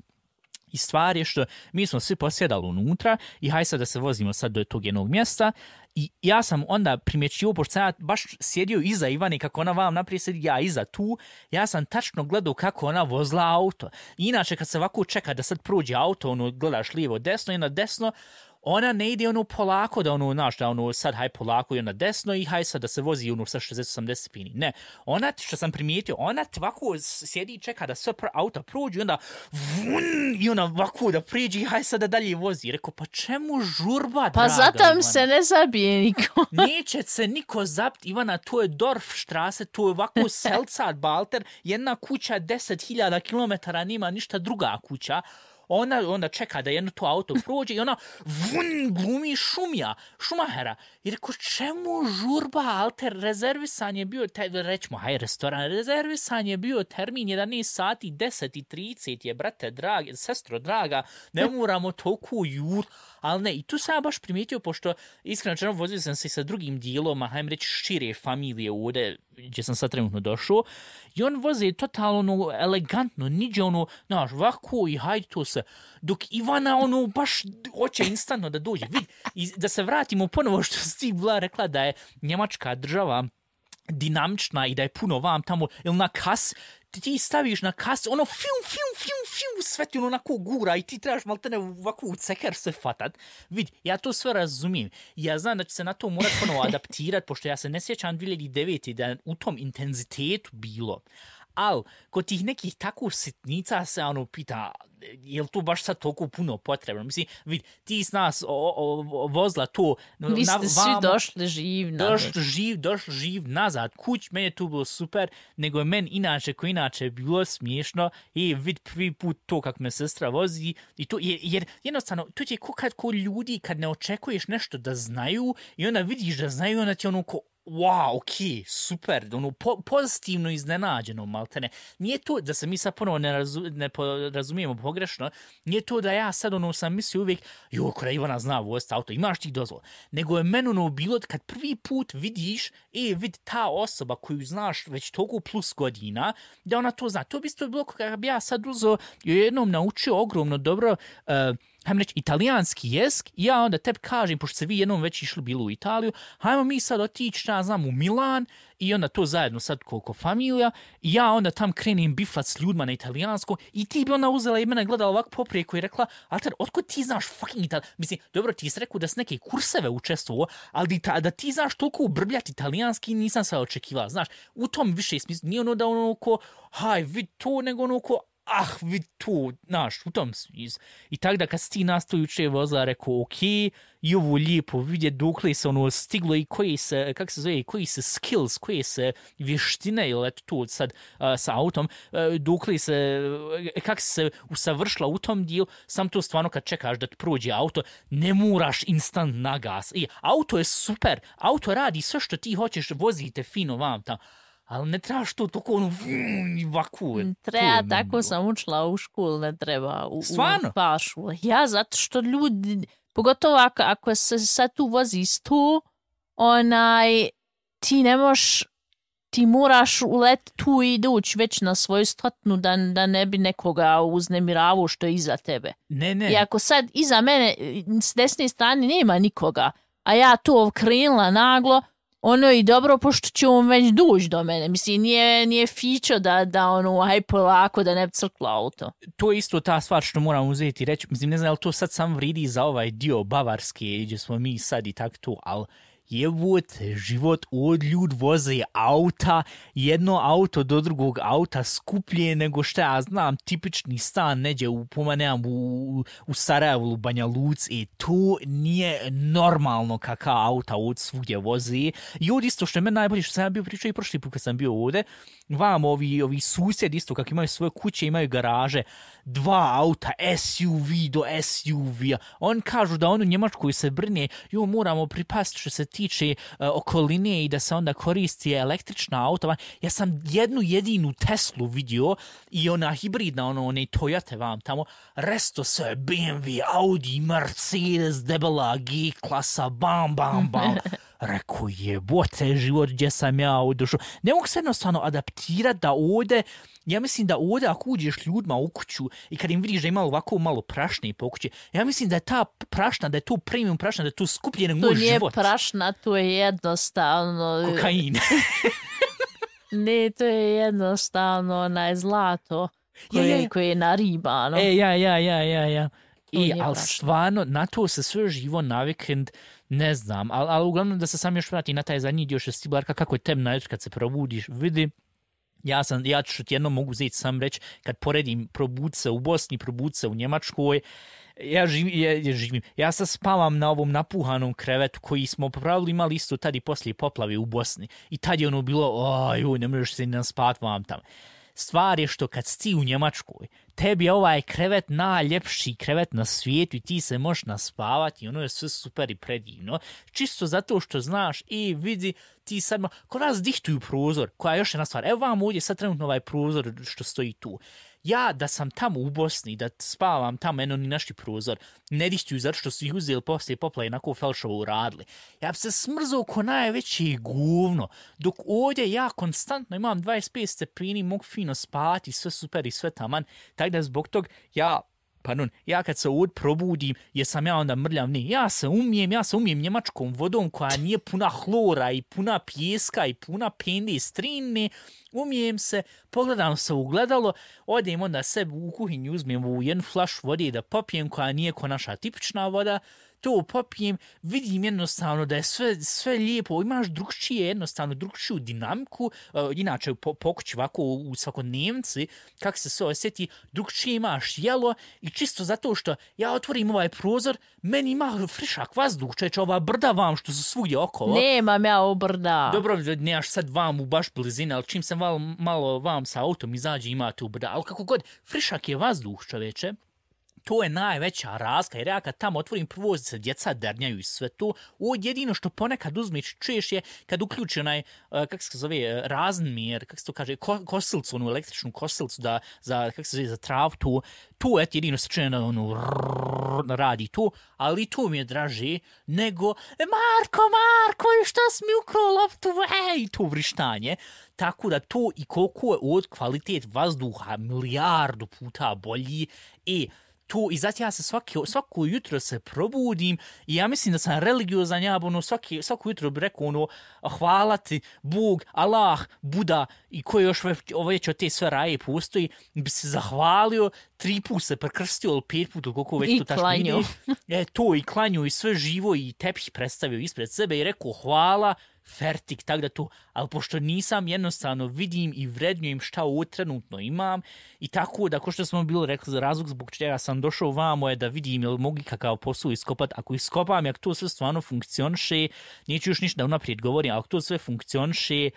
S3: I stvar je što mi smo svi posjedali unutra i haj sad da se vozimo sad do tog jednog mjesta i ja sam onda primjećio, pošto sam ja baš sjedio iza Ivane, kako ona vam naprijed sedi, ja iza tu, ja sam tačno gledao kako ona vozila auto. Inače, kad se ovako čeka da sad prođe auto, ono, gledaš lijevo, desno i na desno, ona ne ide ono polako da ono, znaš, da ono sad haj polako i na desno i haj sad da se vozi ono sa šezdeset osamdeset stepeni. Ne, ona, što sam primijetio, ona ovako sjedi i čeka da sve auta prođu i onda vun, i ona ovako da priđe i haj sad da dalje vozi. Rekao, pa čemu žurba,
S2: pa
S3: draga
S2: zatam se ne zabije niko.
S3: Neće se niko zapt, Ivana, to je Dorfstraße, to je ovako Selzat Balter, jedna kuća deset hiljada kilometara, nima ništa druga kuća. Ona onda čeka da jedno to auto prođe i ona vun, glumi šumja, šumahera. I rekao, čemu žurba, alter, rezervisan je bio, te, rećemo, haj, restoran, rezervisan je bio termin jedanaest sati, deset i trideset je, brate, dragi, sestro, draga, ne moramo toliko jur, ali ne, i tu sam ja baš primijetio, pošto iskreno černo vozio sam se sa drugim dijelom, hajmo reći, šire familije ovdje, gdje sam sad trenutno došao, i on voze totalno elegantno, niđe ono, znaš, ovako i hajde to se, dok Ivana ono baš hoće instantno da dođe. Vid, i da se vratimo ponovo što si ti bila rekla da je Njemačka država dinamična i da je puno vam tamo, ili na kas, ti staviš na kas, ono fium, fium, fium, fium, sve ti ono onako gura i ti trebaš maltene ovako u ceker se fatat. Vid, ja to sve razumijem. Ja znam da će se na to morat ponovo adaptirati, pošto ja se ne sjećam dvije hiljade devete da u tom intenzitetu bilo. Ali, kod tih nekih tako sitnica se ono pita, je li to baš sad toliko puno potrebno? Mislim, vid, ti s nas o, o, o, vozla to...
S2: Vi ste svi vamo, došli živ nazad.
S3: Došli živ, došli živ nazad. Kuć, meni je to bilo super, nego je meni inače, ko inače bilo smiješno i vid prvi put to kako me sestra vozi i to, jer, jer jednostavno, to je ko kad ko ljudi kad ne očekuješ nešto da znaju i onda vidiš da znaju, onda ti ono ko wow, ok, super, ono, po, pozitivno iznenađeno, maltene. Nije to, da se mi sad ponovo ne, razu, ne razumijemo pogrešno, nije to da ja sad ono sam mislio uvijek, jo, kada Ivana zna voziti auto, imaš ti dozvol. Nego je meni ono bilo kad prvi put vidiš, e, vid ta osoba koju znaš već toliko plus godina, da ona to zna. To bi isto bilo kada bi ja sad uzeo i jednom naučio ogromno dobro, uh, hajmo reći, italijanski jezik i ja onda tebi kažem, pošto se vi jednom već išli bilo u Italiju, hajmo mi sad otići, ja znam, u Milan i onda to zajedno sad koliko familija i ja onda tam krenem biflat s ljudima na italijansko i ti bi ona uzela i mene gledala ovako poprijeko i rekla, Alter, otkud ti znaš fucking italijanski? Mislim, dobro, ti si rekao da si neke kurseve učestvovao, ali da, da ti znaš toliko ubrbljati italijanski nisam sve očekivala, znaš, u tom više smislu, nije ono da ono ko, haj, vid to, nego ono ko, ah, vid tu, znaš, u tom smislu. I tako da kad si ti nas to juče vozila, rekao, ok, i ovo lijepo vidjeti dokle se ono stiglo i koji se, kak se zove, koji se skills, koje se vještine, ili eto tu sad uh, sa autom, uh, dokle se, uh, kak se usavršila u tom dijelu, sam to stvarno kad čekaš da ti prođe auto, ne moraš instant na gas. I auto je super, auto radi sve što ti hoćeš, vozite fino vam tamo. Ali ne trebaš to toliko ono vaku.
S2: Treba, tako sam učila u školu, ne treba u, u pašu. Ja, zato što ljudi, pogotovo ako, ako se sad tu vozi sto, onaj, ti ne možeš, ti moraš uleti tu i doći već na svoju stotnu da, da ne bi nekoga uznemiravao što je iza tebe.
S3: Ne, ne.
S2: I ako sad iza mene s desne strane nema nikoga, a ja to krenula naglo, ono i dobro, pošto će on već doći do mene. Mislim, nije, nije fičo da, da ono, aj polako, da ne bi crklo auto.
S3: To je isto ta stvar što moram uzeti i reći. Mislim, ne znam, ali to sad sam vridi za ovaj dio Bavarske, gdje smo mi sad i tako to, ali jebut, život od ljud voze auta, jedno auto do drugog auta skuplje nego što ja znam, tipični stan neđe u, pomaneam, u, u Sarajevu, u Banja Luci, i to nije normalno kakav auta od svugdje voze. I ovdje isto što je meni najbolje, što sam ja bio pričao i prošli put kad sam bio ovdje, vam ovi, ovi susjedi isto, kako imaju svoje kuće, imaju garaže, dva auta, S U V do S U V-a. On kažu da on u Njemačkoj se brine, jo, moramo pripasti što se tiče uh, okoline i da se onda koristi električna auta. Ja sam jednu jedinu Teslu vidio i ona hibridna, ono, one Toyota vam tamo, resto sve B M W, Audi, Mercedes, debela G klasa, bam, bam, bam. Rekao, jebote, život gdje sam ja odošao. Ne mogu se jednostavno adaptirati da ovdje, ja mislim da ovdje ako uđeš ljudima u kuću i kad im vidiš da ima ovako malo prašne po kući, ja mislim da je ta prašna, da je to premium prašna, da je to skuplje nego moj život.
S2: To nije prašna, to je jednostavno...
S3: Kokain.
S2: Ne, to je jednostavno onaj zlato koje, ja, ja. koje je naribano.
S3: E, ja, ja, ja, ja, ja. I, ali stvarno, na to se sve živo na vikend, ne znam, ali, ali uglavnom da se sam još vrati na taj zadnji dio šestibarka, kako je temna kad se probudiš, vidi, ja sam, ja ću ti jedno mogu zeti sam reći, kad poredim probud se u Bosni, probud se u Njemačkoj, ja živim, ja, ja živim, ja sad spavam na ovom napuhanom krevetu koji smo pravilno imali isto tad i poslije poplave u Bosni i tad je ono bilo, oj, ne možeš se ni naspat vam tamo. Stvar je što kad si u Njemačkoj, tebi je ovaj krevet najljepši krevet na svijetu i ti se možeš naspavati i ono je sve super i predivno. Čisto zato što znaš i vidi ti sad, kod nas dihtuju prozor, koja je još jedna stvar. Evo vam ovdje sad trenutno ovaj prozor što stoji tu. Ja da sam tamo u Bosni, da spavam tamo, eno ni naši prozor, ne dihtuju zato što su ih uzeli poslije poplave onako Felšovo uradili. Ja bi se smrzao ko najveće govno, dok ovdje ja konstantno imam dvadeset pet stepeni, mogu fino spati, sve super i sve taman, tako da zbog tog ja... Pardon, ja kad se ovdje probudim, jesam ja onda mrljav, ne, ja se umijem, ja se umijem njemačkom vodom koja nije puna hlora i puna pijeska i puna pende i strine, umijem se, pogledam se u gledalo, odem onda sebi u kuhinju, uzmem u jednu flašu vode da popijem koja nije ko naša tipična voda, to popijem, vidim jednostavno da je sve, sve lijepo, imaš drugčije, jednostavno drugčiju dinamiku, uh, inače po, pokući ovako u, u svakodnevnici, kako se sve osjeti, drugčije imaš jelo i čisto zato što ja otvorim ovaj prozor, meni ima frišak vazduh, čeče, ova brda vam što su svugdje okolo.
S2: Nemam ja u brda.
S3: Dobro, nemaš sad vam u baš blizine, ali čim se malo, malo vam sa autom izađe imate u brda, ali kako god, frišak je vazduh, čoveče. To je najveća razlika, jer ja kad tamo otvorim prvo se djeca dernjaju i sve to. Ovo jedino što ponekad uzmeš čuješ je kad uključi onaj, uh, kako se zove, razmjer, kako se to kaže, ko, kosilcu, onu električnu kosilcu da, za, kako se zove, za trav, to, to je jedino se čuje na ono, rrrr, radi to, ali to mi je draže nego, Marko, Marko, što si mi ukrao loptu, ej, to vrištanje. Tako da to i koliko je od kvalitet vazduha milijardu puta bolji i tu, i zato ja se svaki, svako jutro se probudim i ja mislim da sam religiozan, ja ono, svaki, svako jutro bi rekao ono, hvala ti Bog, Allah, Buda i koji još već od te sve raje postoji, bi se zahvalio, tri put se prekrstio, ili pet put, ili koliko već
S2: I
S3: to tačno ide. E, to i klanju i sve živo i tepih predstavio ispred sebe i rekao hvala, fertik, tak da to, ali pošto nisam, jednostavno vidim i vrednjujem šta ovo trenutno imam i tako da, ko što smo bili rekli, za razlog zbog čega sam došao vamo je da vidim ili mogu kakav posao iskopat, ako iskopam, jak to sve stvarno funkcioniše, neću još ništa unaprijed govorim, ali ako to sve funkcioniše,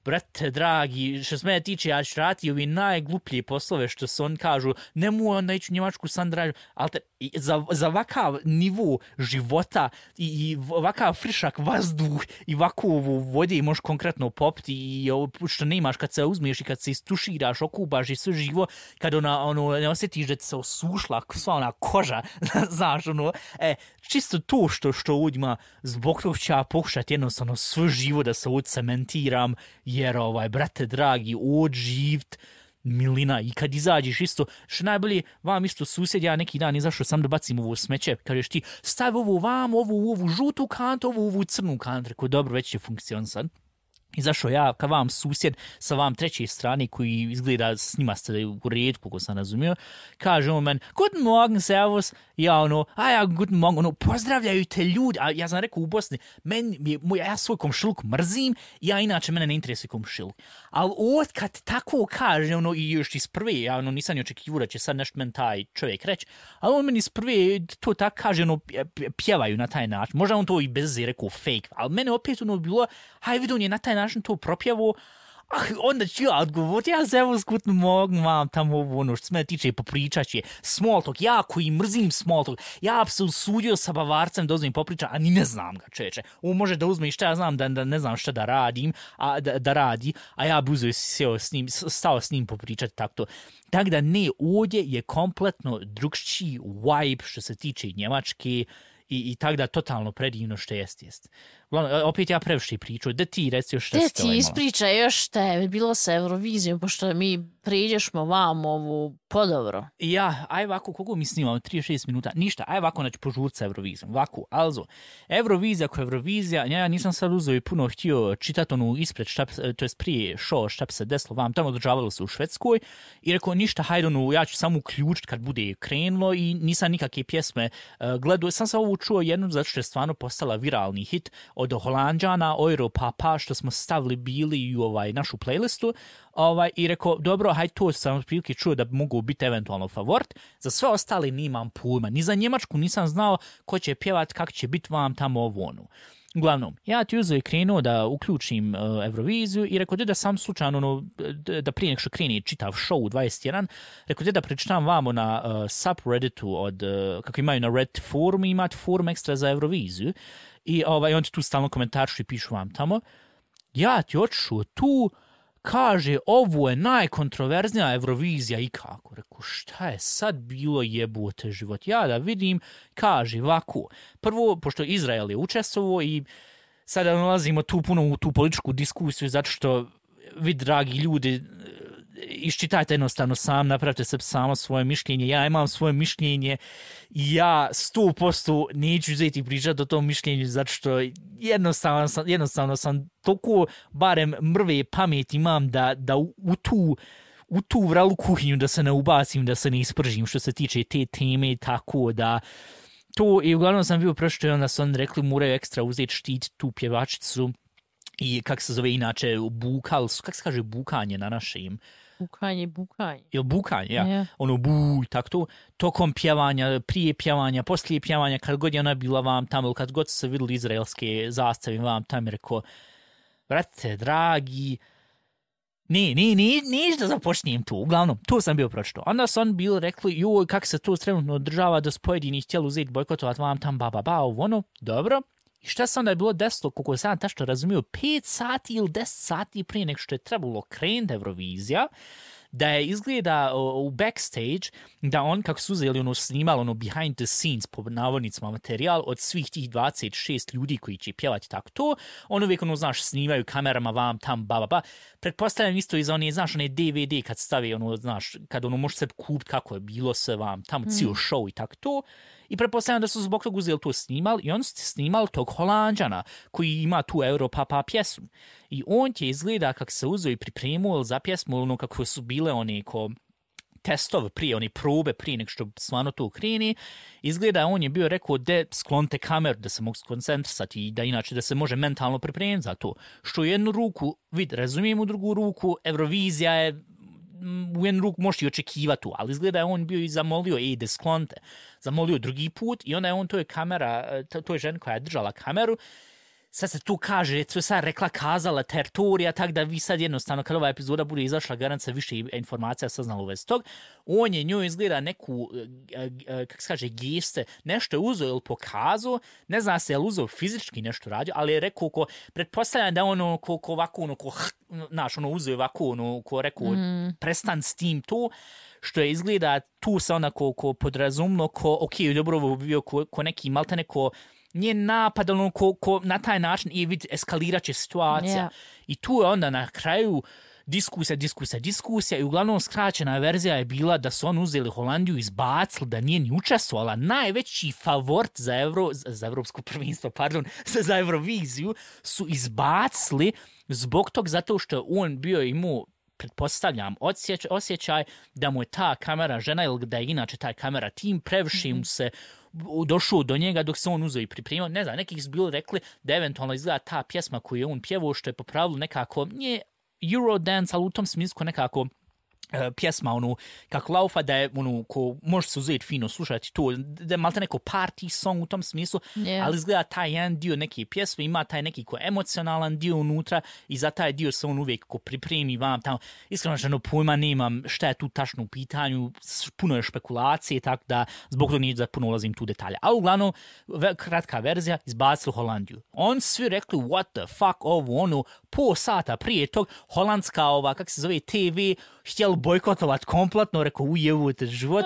S3: brate, dragi, što se mene tiče, ja ću raditi ovi najgluplje poslove što se on kažu, nemoj onda ići u Njemačku sam dražu, ali te, za, za ovakav nivo života i, i ovakav frišak vazduh i ovakvu vode možeš konkretno popiti i ovo što nemaš kad se uzmeš i kad se istuširaš, okubaš i sve živo, kad ona, ono, ne osjetiš da ti se osušla sva ona koža, znaš, ono, e, čisto to što, što ovdje ima, zbog toga ću ja pokušati jednostavno sve živo da se ovdje cementiram, jer ovaj, brate dragi, od živt, milina, i kad izađeš isto, što najbolje, vam isto susjed, ja neki dan izašao sam da bacim ovo smeće, kažeš ti, stavi ovo vam, ovu, ovu žutu kantu, ovu, ovu crnu kantu, rekao, dobro, već će funkcionisati. Izašao ja ka vam susjed sa vam treće strane koji izgleda s njima ste u redu, koliko sam razumio, kaže on men, guten Morgen, servus, ja ono, a ja guten Morgen, ono, pozdravljaju te ljudi, a ja sam rekao u Bosni, men, ja svoj komšiluk mrzim, ja inače mene ne interesuje komšiluk, ali od kad tako kaže, ono, i još iz prve, ja ono, nisam ni očekivao da će sad nešto men taj čovjek reći, ali on meni iz prve to tako kaže, ono, pjevaju na taj način, možda on to i bez je rekao fake, ali mene opet ono bilo, haj vidio on je na taj način to propjevo, ah, onda ću ja odgovoriti, ja se evo skutno mogu vam tamo ovo, ono što se mene tiče popričat će small talk, ja koji mrzim small talk, ja bi se usudio sa Bavarcem da uzmem popričat, a ni ne znam ga čeče, on može da uzme i šta ja znam da, da ne znam šta da radim, a, da, da radi, a ja bi uzeo seo s njim, stao s njim popričati tako. Tako da ne, ovdje je kompletno drugčiji vibe što se tiče Njemačke, I, i tako da totalno predivno što jest jest. Opet ja previše pričao, da ti reci još šta
S2: Te
S3: ste
S2: ti ispričaj još šta je bilo sa Eurovizijom, pošto mi priđešmo vam ovu podobro.
S3: Ja, aj ovako, koliko mi snimamo, trideset šest minuta, ništa, aj ovako, znači požurca sa Eurovizijom, ovako, also, Eurovizija ko Eurovizija, ja nisam sad uzeo i puno htio čitati onu ispred, šta, to je prije show, šta bi se desilo vam, tamo održavalo se u Švedskoj i rekao, ništa, hajde, onu, ja ću samo uključiti kad bude krenulo i nisam nikakve pjesme uh, gledao, sam se ovo čuo jednu, zato što je stvarno postala viralni hit od Holanđana, Euro Papa, što smo stavili bili u ovaj, našu playlistu, ovaj, i rekao, dobro, hajde, to sam prilike čuo da mogu biti eventualno favorit. Za sve ostale nimam pojma. Ni za Njemačku nisam znao ko će pjevat, kak će biti vam tamo ovo ono. Uglavnom, ja ti uzeo i krenuo da uključim uh, Euroviziju i rekao da sam slučajno, ono, da prije nek što kreni čitav show u dvadeset jedan, rekao da pročitam vamo na uh, subredditu od, uh, kako imaju na Reddit forum, imate forum ekstra za Euroviziju i ovaj, on ti tu stalno komentaršu i pišu vam tamo. Ja ti otišao tu, kaže, ovo je najkontroverznija Eurovizija ikako. Rekao, šta je sad bilo jebote život? Ja da vidim, kaže, ovako. Prvo, pošto Izrael je učestvovao i sada nalazimo tu puno u tu političku diskusiju, zato što vi, dragi ljudi, iščitajte jednostavno sam, napravite se samo svoje mišljenje, ja imam svoje mišljenje i ja sto posto neću uzeti pričati o tom mišljenju, zato što jednostavno sam, jednostavno sam toliko barem mrve pamet imam da, da u, u tu u tu vralu kuhinju da se ne ubacim, da se ne ispržim što se tiče te teme, tako da to, i uglavnom sam bio prošlo i onda su oni rekli moraju ekstra uzeti štit tu pjevačicu i kak se zove inače bukal, kak se kaže bukanje na našem?
S2: Bukanje, bukanje.
S3: Ili bukanje, ja.
S2: Yeah.
S3: Ono buj, tako to. Tokom pjevanja, prije pjevanja, poslije pjevanja, kad god je ona bila vam tamo, ili kad god su se vidjeli izraelske zastave vam tamo, rekao, brate, dragi, ne, ne, ne, neću da započnijem tu. Uglavnom, tu sam bio pročito. Onda su oni bili rekli, joj, kako se to trenutno održava da su pojedini htjeli uzeti bojkotovati vam tam, ba, ba, ba, ono, dobro. I šta se onda je bilo desilo, koliko sam tačno razumio, pet sati ili deset sati prije nek što je trebalo krenuti Eurovizija, da je izgleda u backstage, da on, kako su uzeli ono snimalo, ono behind the scenes, po navodnicima materijal, od svih tih dvadeset šest ljudi koji će pjevati tako to, on uvijek, ono, znaš, snimaju kamerama vam tam, ba, ba, ba. Pretpostavljam isto i za one, znaš, one D V D kad stavi, ono, znaš, kad ono može se kupiti kako je bilo sve vam tamo, cijel mm. show i tako to. I pretpostavljam da su zbog toga uzeli to snimali i on su snimali tog Holanđana koji ima tu Europapa pjesmu. I on ti izgleda kako se uzeo i pripremio za pjesmu, ono kako su bile one ko testove prije, one probe prije nek što stvarno to kreni. Izgleda on je bio rekao da sklonite kameru da se mogu skoncentrisati i da inače da se može mentalno pripremiti za to. Što u jednu ruku, vid, razumijem, u drugu ruku, Eurovizija je u jednu ruku možeš i očekivati tu, ali izgleda je on bio i zamolio, ej, da sklonite. Zamolio drugi put i onda je on, to je kamera, to je žena koja je držala kameru, sad se tu kaže, to je sad rekla, kazala teritorija, tako da vi sad jednostavno, kad ova epizoda bude izašla, garant se više informacija saznala u vezi tog, on je njoj izgleda neku, kako se kaže, geste, nešto je uzeo ili pokazao, ne zna se je li uzeo fizički nešto radio, ali je rekao, ko, pretpostavljam da ono, ko, ko ovako, ono, ko, znaš, ono, uzeo ovako, ono, ko rekao, mm. prestan s tim to, što je izgleda, tu se onako, ko podrazumno, ko, ok, dobro, ovo bio ko, ko neki, malte neko, nije napad, ono, ko, ko na taj način i vid eskalirat će situacija. Yeah. I tu je onda na kraju diskusija, diskusija, diskusija i uglavnom skraćena verzija je bila da su on uzeli Holandiju, izbacili, da nije ni učestvovala. Najveći favorit za, Euro, za Evropsko prvenstvo, pardon, za Euroviziju su izbacili zbog tog zato što on bio imao, pretpostavljam, osjeć, osjećaj da mu je ta kamera žena ili da je inače ta kamera tim previše mu se došao do njega dok se on uzeo i pripremio. Ne znam, nekih su bili rekli da eventualno izgleda ta pjesma koju je on pjevao, što je po pravilu nekako, nije Eurodance, ali u tom smislu nekako Uh, pjesma, ono, kako laufa, da je, ono, ko može se uzeti fino slušati to, da je malte neko party song u tom smislu, yeah. ali izgleda taj jedan dio neke pjesme, ima taj neki ko emocionalan dio unutra i za taj dio se on uvijek ko pripremi vam tamo. Iskreno što pojma nemam šta je tu tačno u pitanju, puno je špekulacije, tako da zbog toga nije da puno ulazim tu detalje. Ali uglavnom, kratka verzija, izbacili Holandiju. On svi rekli, what the fuck, ovo, ono, po sata prije tog holandska ova, kak se zove, T V, htjeli bojkotovat kompletno, rekao, ujevujte život.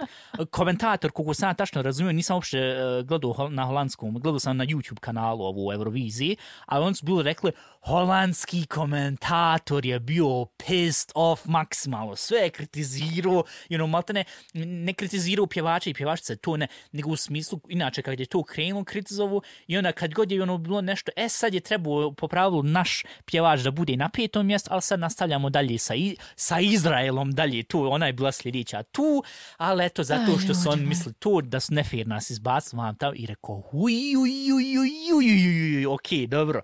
S3: Komentator, koliko sam tačno razumio, nisam uopšte uh, gledao na holandskom, gledao sam na YouTube kanalu ovu Euroviziji, ali oni su bili rekli, holandski komentator je bio pissed off maksimalno, sve je kritizirao, you know, maltene, ne kritizirao pjevače i pjevačice, to ne, nego u smislu, inače kad je to krenuo kritizovu i onda kad god je ono bilo nešto, e sad je trebao po pravilu naš pjevač da bude na petom mjestu, ali sad nastavljamo dalje sa, sa Izraelom dalje, tu, ona je bila sljedeća tu, ali eto, zato što su oni mislili to, da su nefair nas izbacili vam tamo i rekao, uj, uj, uj, uj, uj, uj, uj, ok, dobro.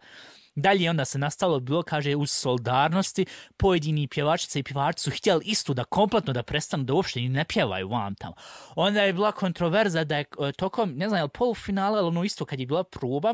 S3: Dalje onda se nastalo bilo, kaže, uz solidarnosti pojedini pjevačice i pjevači su htjeli isto da kompletno da prestanu da uopšte ni ne pjevaju vam tamo. Onda je bila kontroverza da je tokom, ne znam, je li polufinale, ali ono isto kad je bila proba,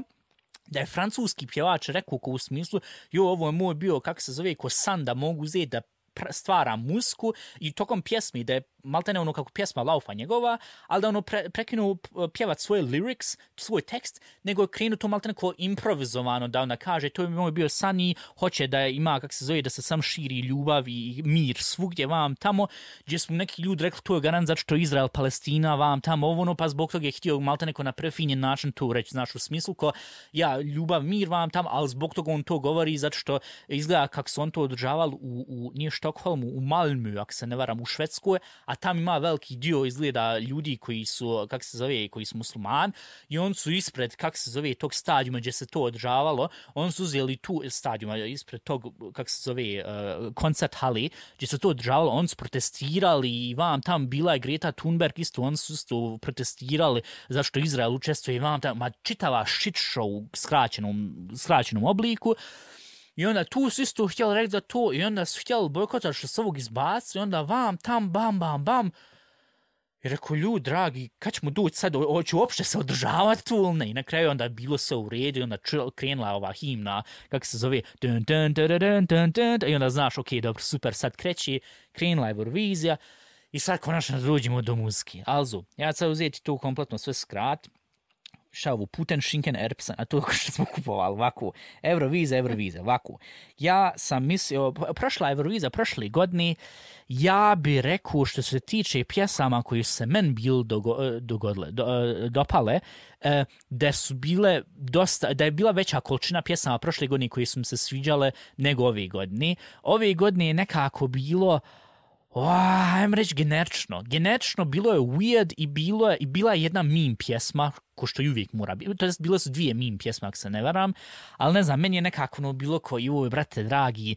S3: da je francuski pjevač rekao ko u smislu, jo, ovo je moj bio, kako se zove, ko san da mogu uzeti da stvara muziku i tokom pjesmi da je maltene ono kako pjesma laufa njegova, ali da ono pre, prekinuo pjevat svoje lyrics, svoj tekst, nego je krenuo to maltene kao improvizovano da ona kaže to je moj bio san i hoće da ima, kako se zove, da se sam širi ljubav i mir svugdje vam tamo, gdje su neki ljudi rekli to je garant zato što Izrael, Palestina vam tamo, ovo ono, pa zbog toga je htio maltene kao na prefinjen način to reći, znaš, u smislu ko ja, ljubav, mir vam tamo, ali zbog toga on to govori zato što izgleda kako su on to održavali u, u nije Štokholmu, u Malmö, ako se ne varam, u Švedskoj, a tam ima veliki dio izgleda ljudi koji su, kako se zove, koji su musliman i on su ispred, kako se zove, tog stadijuma gdje se to održavalo, on su uzeli tu stadijuma ispred tog, kako se zove, uh, koncert hali, gdje se to održavalo, on su protestirali i vam tam bila je Greta Thunberg isto, on su isto protestirali zašto Izrael učestvuje i vam tam, ma čitava shit show u skraćenom, skraćenom obliku. I onda tu su isto htjeli reći za to i onda su htjeli bojkotati što se ovog izbaci i onda vam, tam, bam, bam, bam. I rekao, ljudi, dragi, kad ćemo doći sad, hoću uopšte se održavati tu ili ne? I na kraju onda bilo sve u redu i onda krenula ova himna, kako se zove, dun, dun, dun, dun, dun, dun, i onda znaš, ok, dobro, super, sad kreće, krenula je Eurovizija i sad konačno dođemo do muzike. Also, ja ću sad uzeti tu kompletno sve skrat. Šavu Puten Schinken Erbsen, a to što smo kupovali, ovako, Eurovizija, Eurovizija, ovako. Ja sam mislio, prošla Eurovizija, prošle godine, ja bi rekao što se tiče pjesama koji se meni bili dogo, dogodile, do, dopale, da su bile dosta, da je bila veća količina pjesama prošle godine koji su mi se sviđale nego ove godine. Ove godine je nekako bilo, Oh, ajmo reći generično. Generično bilo je weird i, bilo je, i bila je jedna meme pjesma, ko što i uvijek mora biti. To jest, bile su dvije meme pjesme, ako se ne varam, ali ne znam, meni je nekako no, bilo ko, joj, brate, dragi,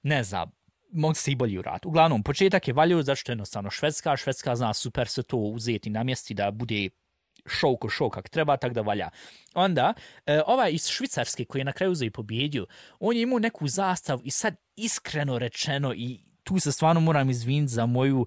S3: ne znam, mogu se i bolji urati. Uglavnom, početak je valio, zato što je jednostavno Švedska, Švedska zna super se to uzeti na mjesti da bude show ko show kak treba, tak da valja. Onda, e, ovaj iz Švicarske koji je na kraju uzeo i pobjedio, on je imao neku zastavu i sad iskreno rečeno i tu se stvarno moram izviniti za moju,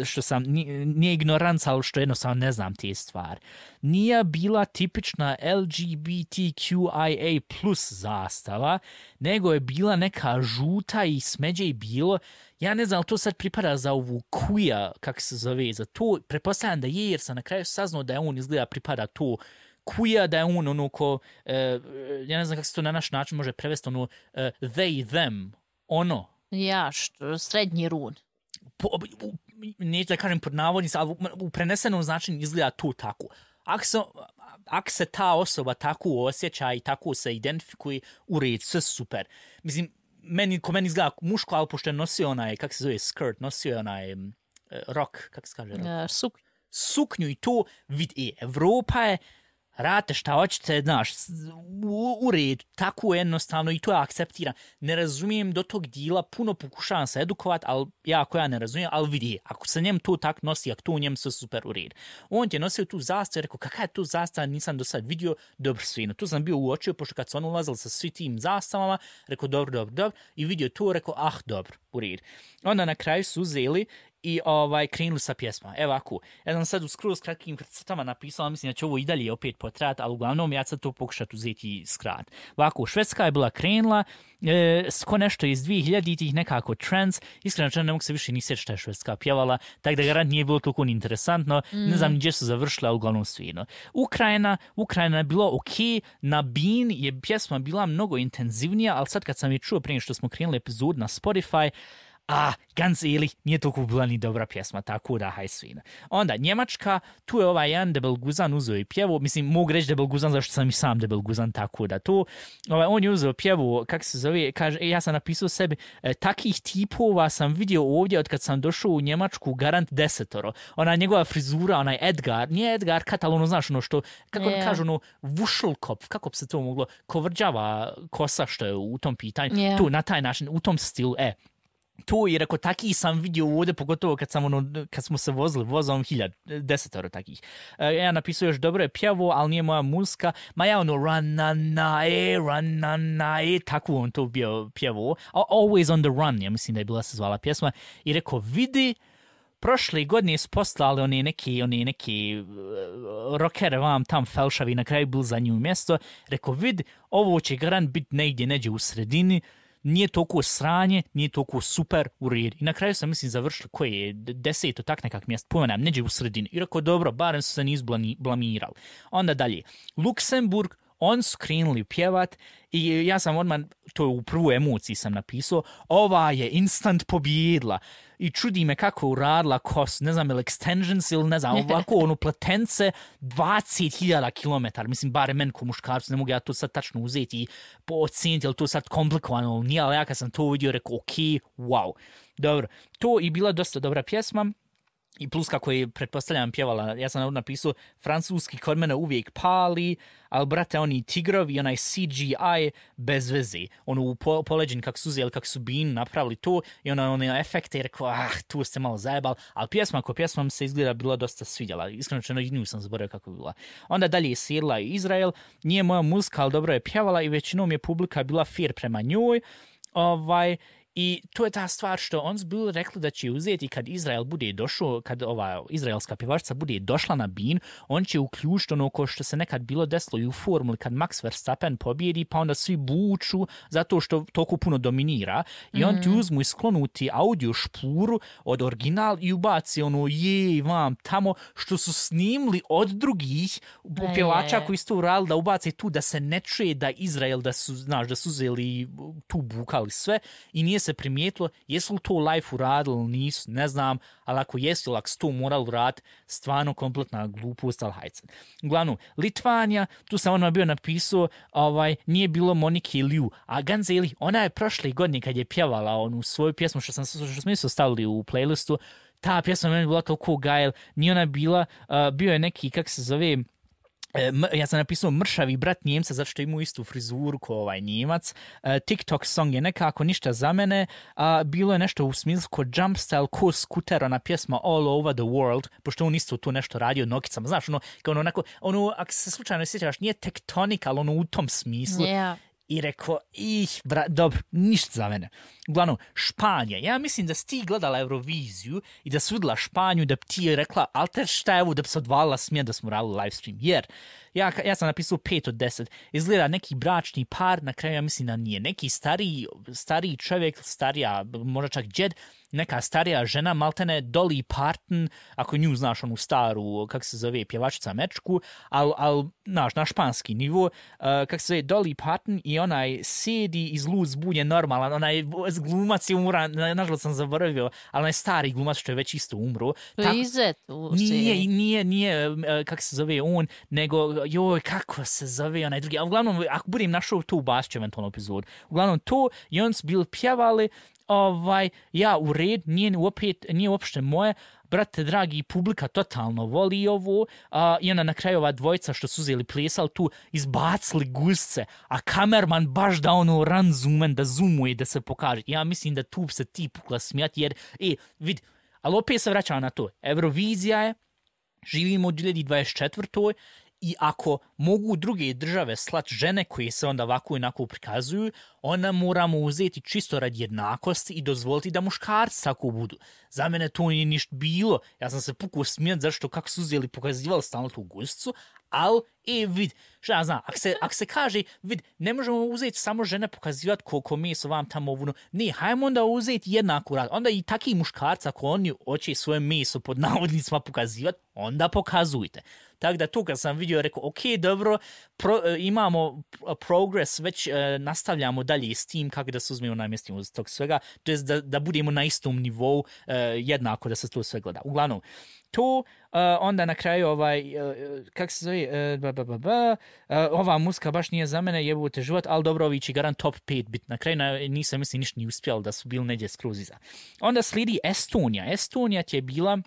S3: što sam, nije ignoranca, ali što jednostavno ne znam te stvari. Nije bila tipična L G B T Q I A plus zastava, nego je bila neka žuta i smeđe i bilo. Ja ne znam, ali to sad pripada za ovu queer, kako se zove, za to. Pretpostavljam da je, jer sam na kraju saznao da je on izgleda pripada to queer, da je on ono ko, uh, ja ne znam kako se to na naš način može prevesti, ono, uh, they, them, ono.
S2: Ja, što, srednji run.
S3: Po, u, neću da kažem pod navodnicima, ali u prenesenom značenju izgleda to tako. Ako se, ak se ta osoba tako osjeća i tako se identifikuje, u red, sve super. Mislim, meni, ko meni izgleda muško, ali pošto je nosio onaj, kako se zove, skirt, nosio onaj um, rock, kako se kaže? Rock?
S2: Uh, suk.
S3: Suknju i to, vidi, Evropa je, rate šta hoćete, znaš, u, u red, tako jednostavno i to je akceptiram. Ne razumijem do tog dijela, puno pokušavam se edukovat, ali jako ja ne razumijem, ali vidi, ako se njem to tak nosi, ako to u njem sve super u red. On je nosio tu zastavu i rekao, kakva je tu zastava, nisam do sad vidio, dobro svino. Tu sam bio uočio, pošto kad su on ulazili sa svi tim zastavama, rekao, dobro, dobro, dobro, i vidio to, rekao, ah, dobro, u red. Onda na kraju su uzeli i ovaj, krenuli sa pjesma. Evo ako, ja sam sad u skroz kratkim crtama napisala, mislim da će ovo i dalje opet potrajati, ali uglavnom ja sad to pokušati uzeti skrat. Ovako, Švedska je bila krenula, e, ko nešto iz dvije hiljaditih nekako trends, iskreno ne mogu se više ni sjeći šta je Švedska pjevala, tako da garant nije bilo toliko interesantno, mm. ne znam ni gdje su završila, ali uglavnom svino. Ukrajina, Ukrajina je bilo ok, na Bean je pjesma bila mnogo intenzivnija, ali sad kad sam je čuo prije što smo krenuli epizod na Spotify, a, ganz ehrlich, nije toliko bila ni dobra pjesma, tako da haj svina. Onda, Njemačka, tu je ovaj jedan Debel Guzan uzeo i pjevu, mislim, mogu reći Debel Guzan, zašto sam i sam Debel Guzan, tako da to, ovaj, on je uzeo pjevu, kako se zove, kaže, ja sam napisao sebi, e, takih tipova sam vidio ovdje od kad sam došao u Njemačku, garant desetoro. Ona njegova frizura, onaj Edgar, nije Edgar Kat, ali ono, znaš, ono što, kako yeah. kažu, ono, Vušelkopf, kako bi se to moglo, kovrđava kosa što je u tom pitanju, yeah. tu, na taj način, u tom stilu, e, tu i rekao, taki sam vidio ovdje, pogotovo kad, sam ono, kad smo se vozili vozom hiljad, desetoro takih. E, ja napisao još dobro je pjevo, ali nije moja muzika. Ma ja ono, run na na e, run na na e, tako on to bio pjevo. Always on the run, ja mislim da je bila se zvala pjesma. I rekao, vidi, prošle godine su poslali oni neki, oni neki uh, rockere vam tam felšavi, na kraju bil za nju mjesto. Rekao, vidi, ovo će garant biti negdje, neđe u sredini. Nije toliko sranje, nije toliko super u redu. I na kraju sam, mislim, završili koje je deseto tak nekak mjesto, pojmenam, neđe u sredini. I rekao, dobro, barem su se nisu blamirali. Onda dalje, Luksemburg, on su krenuli pjevat i ja sam odmah, to u prvu emociji sam napisao, ova je instant pobjedila. I čudi me kako je uradila kos, ne znam, ili extensions ili ne znam, ovako ono platence dvadeset hiljada kilometara, mislim, bare men ko muškarcu, ne mogu ja to sad tačno uzeti i oceniti, ili to sad komplikovano, nije, ali ja kad sam to vidio, rekao, ok, wow. Dobro, to i bila dosta dobra pjesma. I plus kako je, pretpostavljam, pjevala, ja sam napisao, francuski kod mene uvijek pali, ali brate, oni tigrovi, onaj C G I bez veze. Ono u po, poleđen kak su uzeli, kak su Bean napravili to i ono, one efekte i rekao, ah, tu ste malo zajebali, ali pjesma ko pjesma se izgleda bila dosta svidjela. Iskreno čeno, i nju sam zaboravio kako je bila. Onda dalje je sjedila Izrael, nije moja muzika, ali dobro je pjevala i većinom je publika bila fair prema njoj. Ovaj, i to je ta stvar što on su bili rekli da će uzeti kad Izrael bude došao, kad ova izraelska pjevačica bude došla na Bean, on će uključiti ono ko što se nekad bilo desilo i u formuli kad Max Verstappen pobjedi, pa onda svi buču zato što toliko puno dominira i on ti uzmu i sklonuti audio špuru od original i ubaci ono jej vam tamo što su snimili od drugih pjevača koji su to uradili da ubaci tu da se ne čuje da Izrael da su, znaš, da su uzeli tu bukali sve i nije se primijetilo, jesu li to live uradili ili nisu, ne znam, ali ako jesu, ili ako su to morali uraditi, stvarno kompletna glupost, ali hajce. Uglavnom, Litvanija, tu sam ono bio napisao, ovaj, nije bilo Monike Liu, a Ganzeli, ona je prošle godine kad je pjevala onu svoju pjesmu, što, sam, što smo isto stavili u playlistu, ta pjesma meni bila toliko gajel, nije ona bila, uh, bio je neki, kak se zove, ja sam napisao mršavi brat Njemca zato što ima istu frizuru kao ovaj Njemac. Uh, TikTok song je nekako ništa za mene. Uh, bilo je nešto u smislu ko jump style, ko skuter, ona pjesma All Over the World, pošto on isto tu nešto radio nokicama. Znaš, ono, kao ono, onako, ono, ako se slučajno sjećaš, nije tektonik, ali ono u tom smislu.
S2: Yeah.
S3: I rekao, ih, bra, dobro, ništa za mene. Uglavnom, Španija. Ja mislim da si ti gledala Euroviziju i da si vidjela Španiju, da bi ti rekla, ali te šta je ovo, da bi se odvalila smije da smo radili live stream. Jer, ja, ja sam napisao pet od deset. Izgleda neki bračni par, na kraju ja mislim da nije. Neki stariji, stariji čovjek, starija, možda čak džed, neka starija žena, maltene Dolly Parton, ako nju znaš onu staru, kako se zove, pjevačica mečku, ali, al, znaš, na španski nivo, uh, kako se zove, Dolly Parton i onaj sjedi iz luz bulje normalan, onaj glumac je umran, nažalost sam zaboravio, ali onaj stari glumac što je već isto umro.
S2: Izet u seriji.
S3: Nije, nije, nije, uh, kako se zove on, nego, joj, kako se zove onaj drugi, a uglavnom, ako budem našao to ubacit eventualno epizod, uglavnom to, i on su bili pjevali, ovaj, ja u red, nije, opet, nije uopšte moje, brate dragi, publika totalno voli ovo, a, i onda na kraju ova dvojica što su uzeli plesali tu, izbacili gusce, a kamerman baš da ono run zoomen, da zoomuje, da se pokaže. Ja mislim da tu se ti pukla smijati, jer, e, vidi, ali opet se vraćam na to, Eurovizija je, živimo u dvije hiljade dvadeset četvrtoj I ako mogu druge države slat žene koje se onda ovako i onako prikazuju, onda moramo uzeti čisto radi jednakosti i dozvoliti da muškarci tako budu. Za mene to nije ništa bilo. Ja sam se pukao smijat zašto kako su uzeli pokazivali stalno tu guzicu, ali, e, vid, šta ja znam, ako se, ak se kaže, vid, ne možemo uzeti samo žene pokazivati koliko meso vam tamo ovuno. Ne, hajmo onda uzeti jednaku rad. Onda i taki muškarci, ako oni hoće svoje meso pod navodnicima pokazivati, onda pokazujte. Tako da tu kad sam vidio, rekao, ok, dobro, pro, imamo progres, već e, nastavljamo dalje s tim kako da se uzmemo namjestimo iz tog svega, to je da, da budemo na istom nivou e, jednako da se to sve gleda. Uglavnom, to uh, onda na kraju ovaj, uh, kak se zove, uh, ba, ba, ba, ba, uh, ova muska baš nije za mene, jebute život, ali dobro, ovi će garant top pet bit. Na kraju na, nisam mislim ništa ni uspjeli da su bili neđe skroz iza. Onda slijedi Estonija. Estonija ti je bila,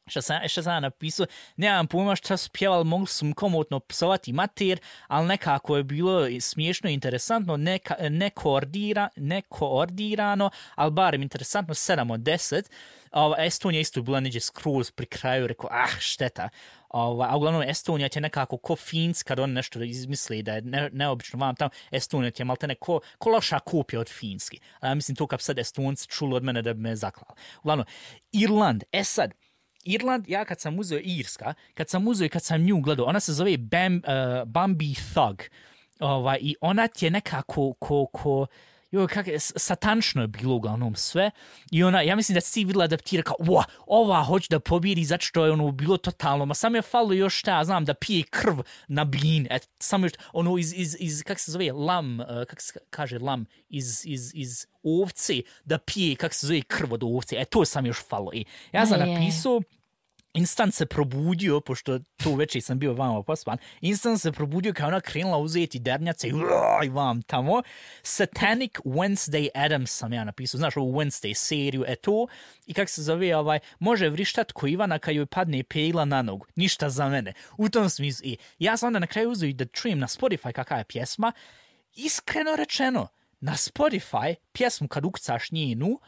S3: što sam, što sam napisao, nemam pojma šta su pjevali, mogli su mu komotno psovati mater, ali nekako je bilo smiješno i interesantno, neka, nekoordira, nekoordirano, ali barem interesantno, sedam od deset. Ova, Estonija isto bila neđe skroz pri kraju, rekao, ah, šteta. Ova, a uglavnom Estonija ti je nekako ko Finska, kad oni nešto izmisli da je ne, neobično vam tamo, Estonija ti je malte neko ko loša kopija od Finski. A ja mislim to kad sad Estonci čuli od mene da bi me zaklali. Uglavnom, Irland, e sad, Irland, ja kad sam uzeo Irska, kad sam uzeo i kad sam nju gledao, ona se zove Bam, uh, Bambi Thug. Ovaj, i ona ti je nekako ko, ko, jo, kak, satančno je bilo uglavnom sve. I ona, ja mislim da si vidjela da ti rekao, wow, ova hoće da pobjedi zato što je ono bilo totalno, ma sam je falo još šta, ja znam, da pije krv na bin, et, samo još, ono iz, iz, iz, kak se zove, lam, uh, kak se kaže lam, iz, iz, iz ovce, da pije, kak se zove, krv od ovce, e, to sam još falo. I ja sam napisao, instant se probudio, pošto to večer sam bio vama pospan, instant se probudio kao ona krenula uzeti dernjace i, i vam tamo. Satanic Wednesday Addams sam ja napisao, znaš ovu Wednesday seriju, e to, i kak se zove, ovaj, može vrištat ko Ivana kad joj padne pegla na nogu, ništa za mene. U tom smislu, i ja sam onda na kraju uzeo i da čujem na Spotify kakva je pjesma, iskreno rečeno, na Spotify pjesmu kad ukcaš njenu,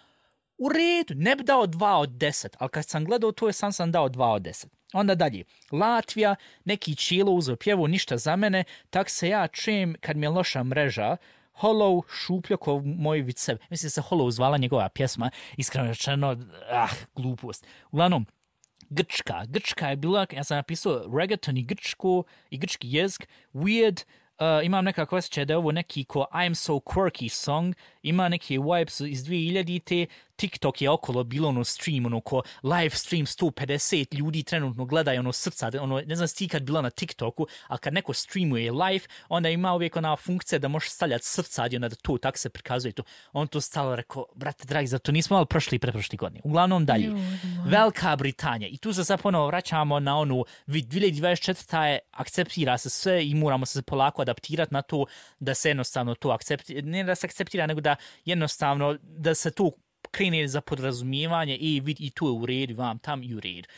S3: u redu, ne bi dao dva od deset, ali kad sam gledao to je sam sam dao dva od deset. Onda dalje, Latvija, neki čilo uzeo pjevu, ništa za mene, tak se ja čujem kad mi je loša mreža, Hollow, šupljo ko moj vicev. Mislim se Hollow zvala njegova pjesma, iskreno rečeno, ah, glupost. Uglavnom, Grčka, Grčka je bila, ja sam napisao reggaeton i grčko, i grčki jezik, weird, Uh, imam nekako osjećaj da je ovo neki ko I'm so quirky song, ima neke vibes iz dvije hiljadite, TikTok je okolo bilo ono stream, ono ko live stream sto pedeset ljudi trenutno gledaju ono srca, ono, ne znam ti kad bila na TikToku, ali kad neko streamuje live, onda ima uvijek ona funkcija da možeš stavljati srca i onda da to tako se prikazuje to. On to stalo rekao, brate dragi, zato nismo malo prošli i preprošli godine. Uglavnom dalje, Velika Britanija. I tu se sad ponovo vraćamo na onu, dvije hiljade dvadeset četvrta je, akceptira se sve i moramo se polako adaptirati na to da se jednostavno to akceptira, ne da se akceptira, nego da jednostavno da se to krene za podrazumijevanje i vidi i tu je u redu, vam tam i u redu.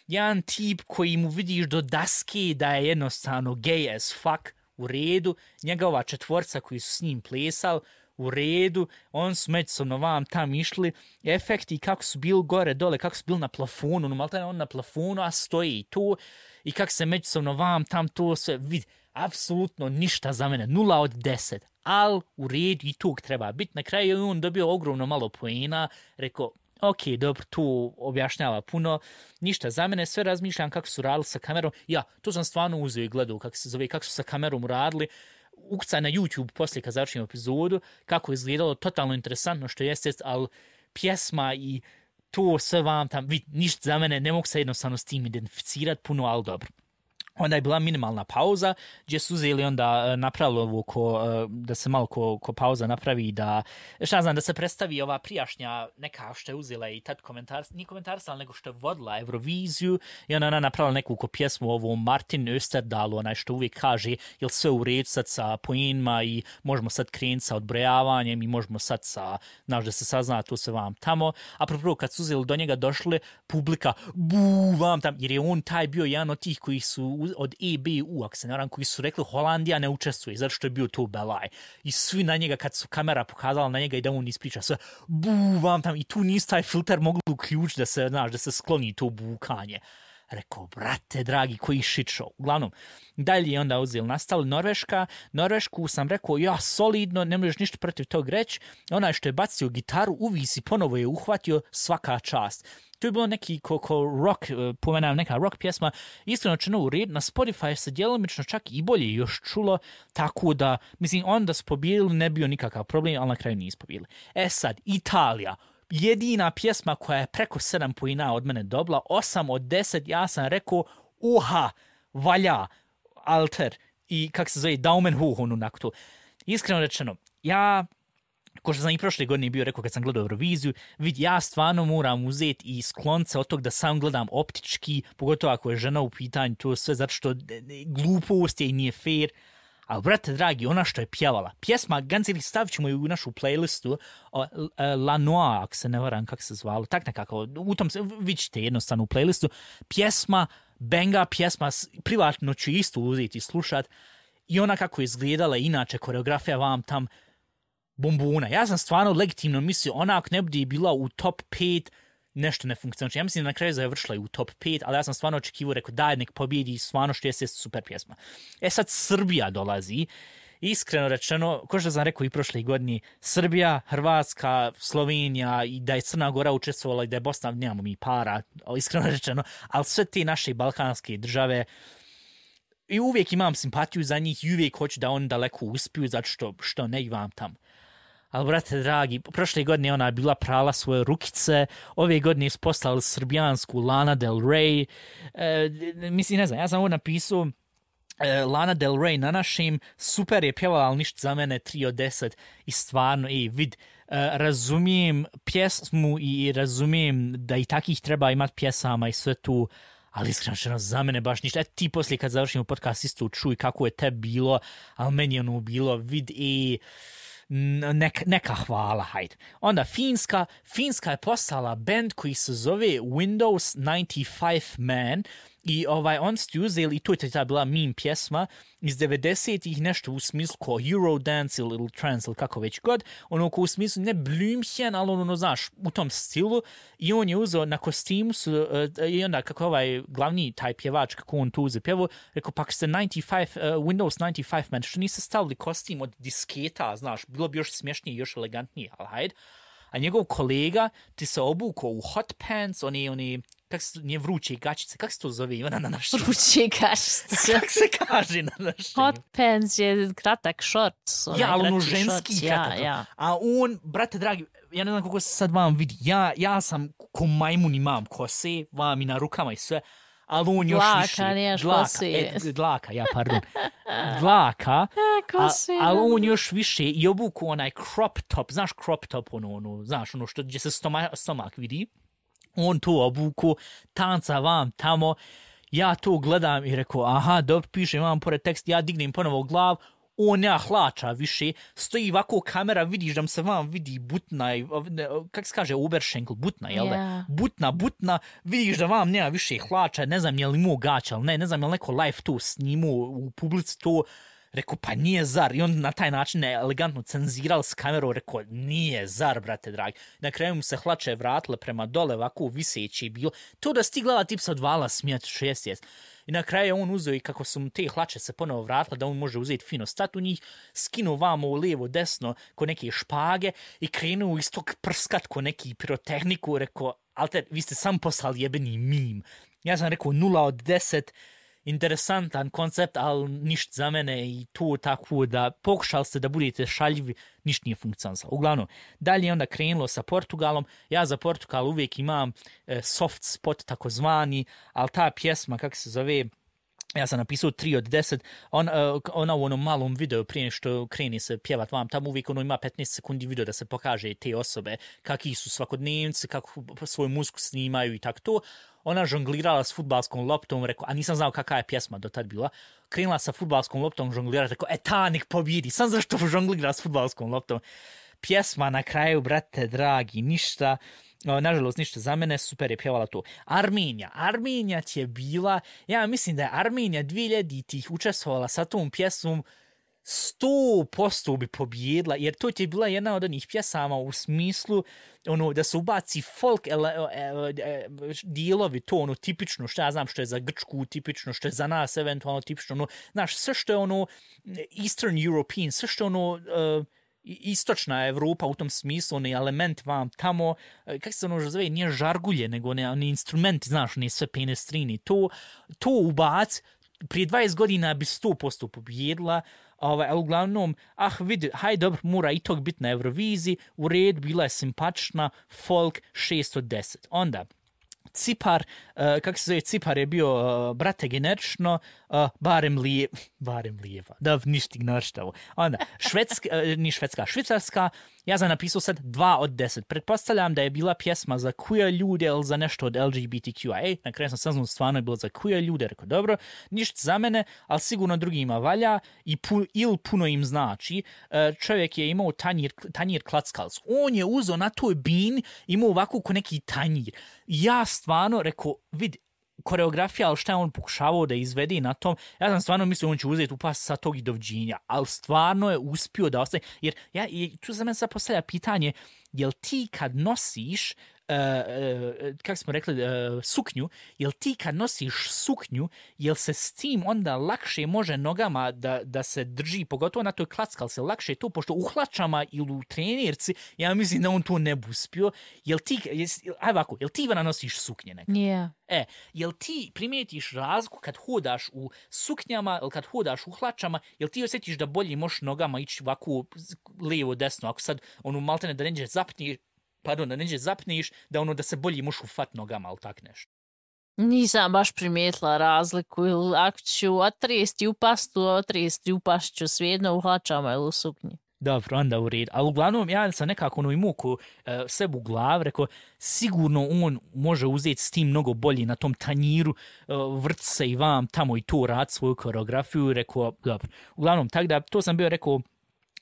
S3: Jedan tip koji mu vidiš do daske da je jednostavno gay as fuck, u redu, njegova četvorca koji su s njim plesali, u redu, on su međusobno vam tam išli, efekti kako su bili gore dole, kako su bili na plafonu, no malo on na plafonu, a stoji i tu, i kako se međusobno vam tam to sve vidi, apsolutno ništa za mene, nula od deset, ali u redu i tog treba biti. Na kraju je on dobio ogromno malo poena, rekao, ok, dobro, tu objašnjava puno, ništa za mene, sve razmišljam kako su radili sa kamerom, ja, to sam stvarno uzeo i gledao kako se zove, kako su sa kamerom radili, ukucaj na YouTube poslije kad završim epizodu, kako je izgledalo, totalno interesantno što jeste, ali pjesma i to sve vam tam, vid, ništa za mene, ne mogu se jednostavno s tim identificirati puno, ali dobro. Onda je bila minimalna pauza, gdje su uzeli onda napravili ovo ko, da se malo ko, ko pauza napravi, da, šta znam, da se predstavi ova prijašnja neka što je uzela i tad komentar, nije komentarsala, nego što je vodila Euroviziju i ona, ona napravila neku ko pjesmu ovo Martin Österdahl, onaj što uvijek kaže, jel sve u redu sad sa poenima i možemo sad krenuti sa odbrojavanjem i možemo sad sa, znaš da se sazna to se vam tamo, a prvo kad su uzeli do njega došle, publika, bu, vam tam, jer je on taj bio jedan od tih koji su od E B U, ako se ne varam, koji su rekli Holandija ne učestvuje, zato što je bio to belaj. I svi na njega, kad su kamera pokazala na njega i da on ispriča sve, bu, vam tam, i tu nisu taj filter mogli uključiti da se, znaš, da se skloni to bukanje. Rekao, brate, dragi, koji shit show. Uglavnom, dalje je onda uzeli, nastali Norveška. Norvešku sam rekao, ja, solidno, ne možeš ništa protiv tog reći. Onaj što je bacio gitaru, uvisi, ponovo je uhvatio, svaka čast. To je bilo neki ko, ko rock, pomenam neka rock pjesma, iskreno čeno u red, na Spotify se djelomično čak i bolje još čulo, tako da, mislim, onda su pobjedili, ne bio nikakav problem, ali na kraju nisu pobjedili. E sad, Italija, jedina pjesma koja je preko sedam poena od mene dobila, osam od deset, ja sam rekao, uha, valja, alter, i kak se zove, daumen hoch onak to. Iskreno rečeno, ja... Ko što sam i prošle godine bio rekao kad sam gledao Euroviziju, vid, ja stvarno moram uzeti i sklonce od tog da sam gledam optički, pogotovo ako je žena u pitanju, to sve zato što glupost je i nije fair. Ali, brate dragi, ona što je pjevala, pjesma, Ganceli, stavit ćemo ju u našu playlistu, uh, La Noa, ako se ne varam kako se zvalo, tak nekako, u tom se, vi ćete jednostavno u playlistu, pjesma, benga, pjesma, privatno ću isto uzeti i slušat, i ona kako je izgledala, inače, koreografija vam tam, bombona. Ja sam stvarno legitimno mislio, ona ako ne bude bila u top pet, nešto ne funkcionira. Ja mislim da na kraju završila i u top pet, ali ja sam stvarno očekivao, rekao daj nek pobjedi, stvarno što je super pjesma. E sad Srbija dolazi, iskreno rečeno, ko što sam rekao i prošle godine, Srbija, Hrvatska, Slovenija i da je Crna Gora učestvovala i da je Bosna, nemamo mi para, iskreno rečeno, ali sve te naše balkanske države, i uvijek imam simpatiju za njih i uvijek hoću da oni daleko uspiju, zato što, što ne imam tam. Ali, brate dragi, prošle godine ona je bila prala svoje rukice, ove godine su poslali srbijansku Lana Del Rey. E, mislim, ne znam, ja sam ovo napisao, e, Lana Del Rey na našem, super je pjevala, ali ništa za mene, tri od deset. I stvarno, ej, vid, e, razumijem pjesmu i razumijem da i takih treba imati pjesama i sve tu, ali iskreno za mene baš ništa. E, ti poslije kad završimo podcast isto čuj kako je te bilo, ali meni je ono bilo, vid, ej, Neka, neka hvala, hajde. Onda Finska, Finska je poslala band koji se zove Windows ninety-five Man i ovaj, on ste uzeli, i to je ta bila meme pjesma iz devedesetih, nešto u smislu ko Eurodance ili Trance ili kako već god, ono ko u smislu ne Blümchen, ali ono, znaš, u tom stilu, i on je uzeo na kostimu su, uh, i onda kako ovaj glavni taj pjevač, kako on tu uze pjevo, rekao, pak ste ninety-five, uh, Windows ninety-five Man, što niste stavili kostim od disketa, znaš, bilo bi još smješnije, još elegantnije, ali hajde. A njegov kolega ti se obukao u hot pants, oni, oni, kako se, nije vruće gačice, kako se to zove, ona na našem?
S2: Vruće gačice.
S3: Kako se kaže na našem?
S2: Hot pants je kratak shorts.
S3: Ja, ali ono ženski shorts, kratak. Ja, ja. A on, brate dragi, ja ne znam kako se sad vam vidi, ja, ja sam ko majmun imam kose, vam i na rukama i sve, ali on još
S2: dlaka,
S3: više.
S2: Niješ
S3: dlaka,
S2: kose.
S3: e, dlaka, ja, pardon. Dlaka, a, ali on još više i obuku onaj crop top, znaš crop top, ono, ono, znaš, ono što gdje se stoma, stomak vidi, on to obuku, tanca vam tamo, ja to gledam i rekao, aha, dobro, piše vam pored tekst, ja dignem ponovo glav, on ja hlača više, stoji ovako kamera, vidiš da mu se vam vidi butna, kak se kaže, Oberschenkel, butna, jel da? Yeah. Butna, butna, vidiš da vam nema više hlača, ne znam je li imao gaća, ali ne, ne znam je li neko live to snimao u publici to, rekao, pa nije zar, i on na taj način je elegantno cenziral s kamerom, rekao, nije zar, brate dragi. Na kraju mu se hlače vratile prema dole, ovako viseći bilo, to da stigla tip sa odvala smijati šest jest. I na kraju on uzeo i kako su mu te hlače se ponovo vratile, da on može uzeti fino stat u njih, skinuo vamo u lijevo, desno, ko neke špage i krenuo iz tog prskat ko neki pirotehniku, rekao, alter, vi ste sam poslali jebeni mim. Ja sam rekao nula od deset, interesantan koncept, ali ništa za mene i to tako da pokušali ste da budete šaljivi, ništa nije funkcionalno. Uglavnom, dalje je onda krenulo sa Portugalom. Ja za Portugal uvijek imam e, soft spot takozvani, ali ta pjesma, kako se zove, ja sam napisao tri od deset, on, uh, ona u onom malom videu prije što kreni se pjevat vam, tamo uvijek ono ima petnaest sekundi video da se pokaže te osobe, kakvi su svakodnevnici, kako svoju muziku snimaju i tako to. Ona žonglirala s fudbalskom loptom, rekao, a nisam znao kakva je pjesma do tad bila, krenula sa fudbalskom loptom, žonglirala, rekao, e ta nek pobjedi, sam zašto žonglira s fudbalskom loptom. Pjesma na kraju, brate dragi, ništa, no, nažalost ništa za mene, super je pjevala to. Armenija, Armenija ti je bila, ja mislim da je Armenija dvije hiljaditih učestvovala sa tom pjesmom sto posto bi pobjedila, jer to ti je bila jedna od onih pjesama u smislu ono, da se ubaci folk ele, ele, ele, dijelovi, to ono tipično, što ja znam što je za Grčku tipično, što je za nas eventualno tipično, ono, znaš, sve što je ono Eastern European, sve što je ono uh, istočna Evropa u tom smislu, onaj element vam tamo, kako se ono zove, nije žargulje, nego oni, oni instrumenti, znaš, oni sve penestrini, to, to ubac, prije dvadeset godina bi sto posto pobjedila, ovaj, ali uglavnom, ah vidi, haj dobro, mora i tog biti na Euroviziji, u red, bila je simpatična, folk šest od deset. Onda, Cipar, uh, kako se zove, Cipar je bio, uh, brate, generično, uh, barem lije, barem lijeva, da ništa ignorštavo. Onda, Švedska, uh, ni Švedska, Švicarska, ja sam napisao sad dva od deset. Pretpostavljam da je bila pjesma za queer ljude ili za nešto od L G B T Q I A. Na kraju sam saznao, stvarno je bilo za queer ljude, rekao, dobro, ništa za mene, ali sigurno drugima valja i pu, ili puno im znači. Uh, čovjek je imao tanjir, tanjir klackals. On je uzeo na toj bin, imao ovako ko neki tanjir. Ja stvarno, rekao, vidi, koreografija, ali šta je on pokušavao da izvede na tom, ja sam stvarno mislio on će uzeti upast sa tog i dovđenja, ali stvarno je uspio da ostane, jer ja, tu za mene sad postavlja pitanje, jel ti kad nosiš, uh, uh, kako smo rekli, uh, suknju, jel ti kad nosiš suknju, jel se s tim onda lakše može nogama da, da se drži, pogotovo na toj klackal se lakše to, pošto u hlačama ili u trenirci, ja mislim da on to ne bi uspio, jel ti, aj ovako, jel ti Ivana nosiš suknje nekad?
S2: Yeah.
S3: E, jel ti primijetiš razliku kad hodaš u suknjama ili kad hodaš u hlačama, jel ti osjetiš da bolje možeš nogama ići ovako lijevo, desno, ako sad ono maltene da neđe zapniš, pardon, da neđe zapniš, da ono da se bolje možeš ufat nogama, ali tak nešto.
S2: Nisam baš primijetila razliku, ili ako ću otresti u pastu, otresti u pašću svejedno u hlačama ili u suknji.
S3: Dobro, onda u red. Ali uglavnom, ja sam nekako ono imao ko uh, sebi u glav, rekao, sigurno on može uzeti s tim mnogo bolji na tom tanjiru, uh, vrt se i vam tamo i to rad svoju koreografiju, rekao, dobro. Uglavnom, tako da, to sam bio rekao,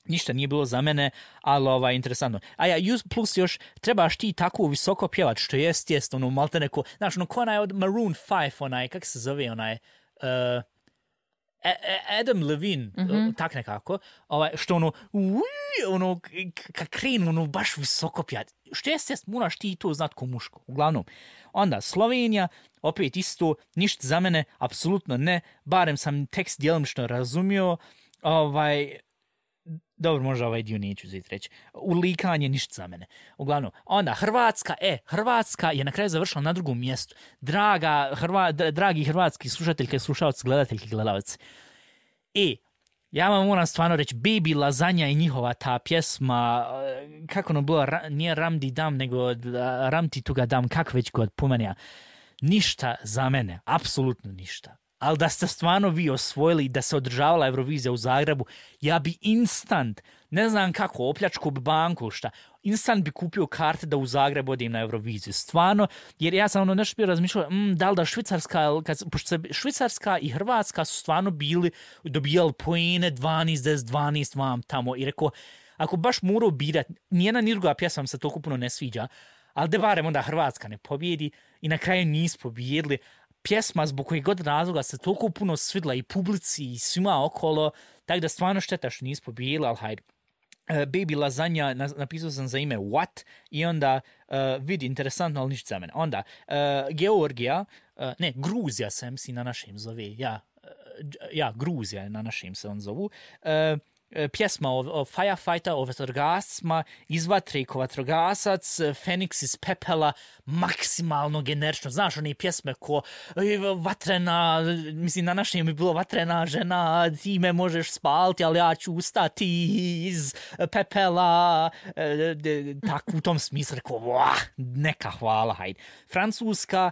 S3: ništa nije bilo za mene, ali ovaj, interesantno. A ja, plus još, trebaš ti tako visoko pjevat, što jest, jest, ono, malte neko, znaš, ono, ko onaj od Maroon five, onaj, kako se zove, onaj, uh, Adam Levine, mm-hmm. tak nekako, ovaj, što ono, ui, ono, kad krenu, ono, baš visoko pjat. Što jest, jest, moraš ti to znat ko muško. Uglavnom, onda, Slovenija, opet isto, ništa za mene, apsolutno ne, barem sam tekst djelomično razumio, ovaj, dobro, možda ovaj dio neću uzeti reći. Ulikanje, ništa za mene. Uglavnom, onda Hrvatska, e, Hrvatska je na kraju završila na drugom mjestu. Draga, Hrva, dragi hrvatski slušateljke, slušalci, gledateljki, gledalci. E, ja vam moram stvarno reći, Baby Lasagna i njihova ta pjesma, kako ono bilo, ra, nije Ramdi Dam, nego Ramti Tuga Dam, kako već god pomenja. Ništa za mene, apsolutno ništa. Ali da ste stvarno vi osvojili da se održavala Eurovizija u Zagrebu, ja bi instant, ne znam kako, opljačku bi banku, šta, instant bi kupio karte da u Zagrebu odim na Euroviziju. Stvarno, jer ja sam ono nešto bio razmišljao, mm, da li da Švicarska, kad, pošto se Švicarska i Hrvatska su stvarno bili, dobijali poene dvanaest deset dvanaest vam tamo i rekao, ako baš morao birati, nijedna ni druga pjesma se toliko puno ne sviđa, ali da barem onda Hrvatska ne pobjedi i na kraju nisu pobjedili. Pjesma zbog kojeg god razloga se toliko puno svidla i publici i svima okolo, tako da stvarno šteta što nisu pobijeli, ali hajde. Uh, Baby Lasagna, napisao sam za ime What, i onda uh, vidi, interesantno, ali ništa za mene. Onda, uh, Georgija, uh, ne, Gruzija se mislim na našem zove, ja, uh, ja, Gruzija na našem se on zovu, uh, pjesma o, o firefighter, o vatrogascima, iz vatre ko vatrogasac, Feniks iz pepela, maksimalno generično. Znaš, one pjesme ko vatrena, mislim, na našem je bilo vatrena žena, ti me možeš spaliti, ali ja ću ustati iz pepela. Tako u tom smislu rekao, vah, neka hvala, hajde. Francuska,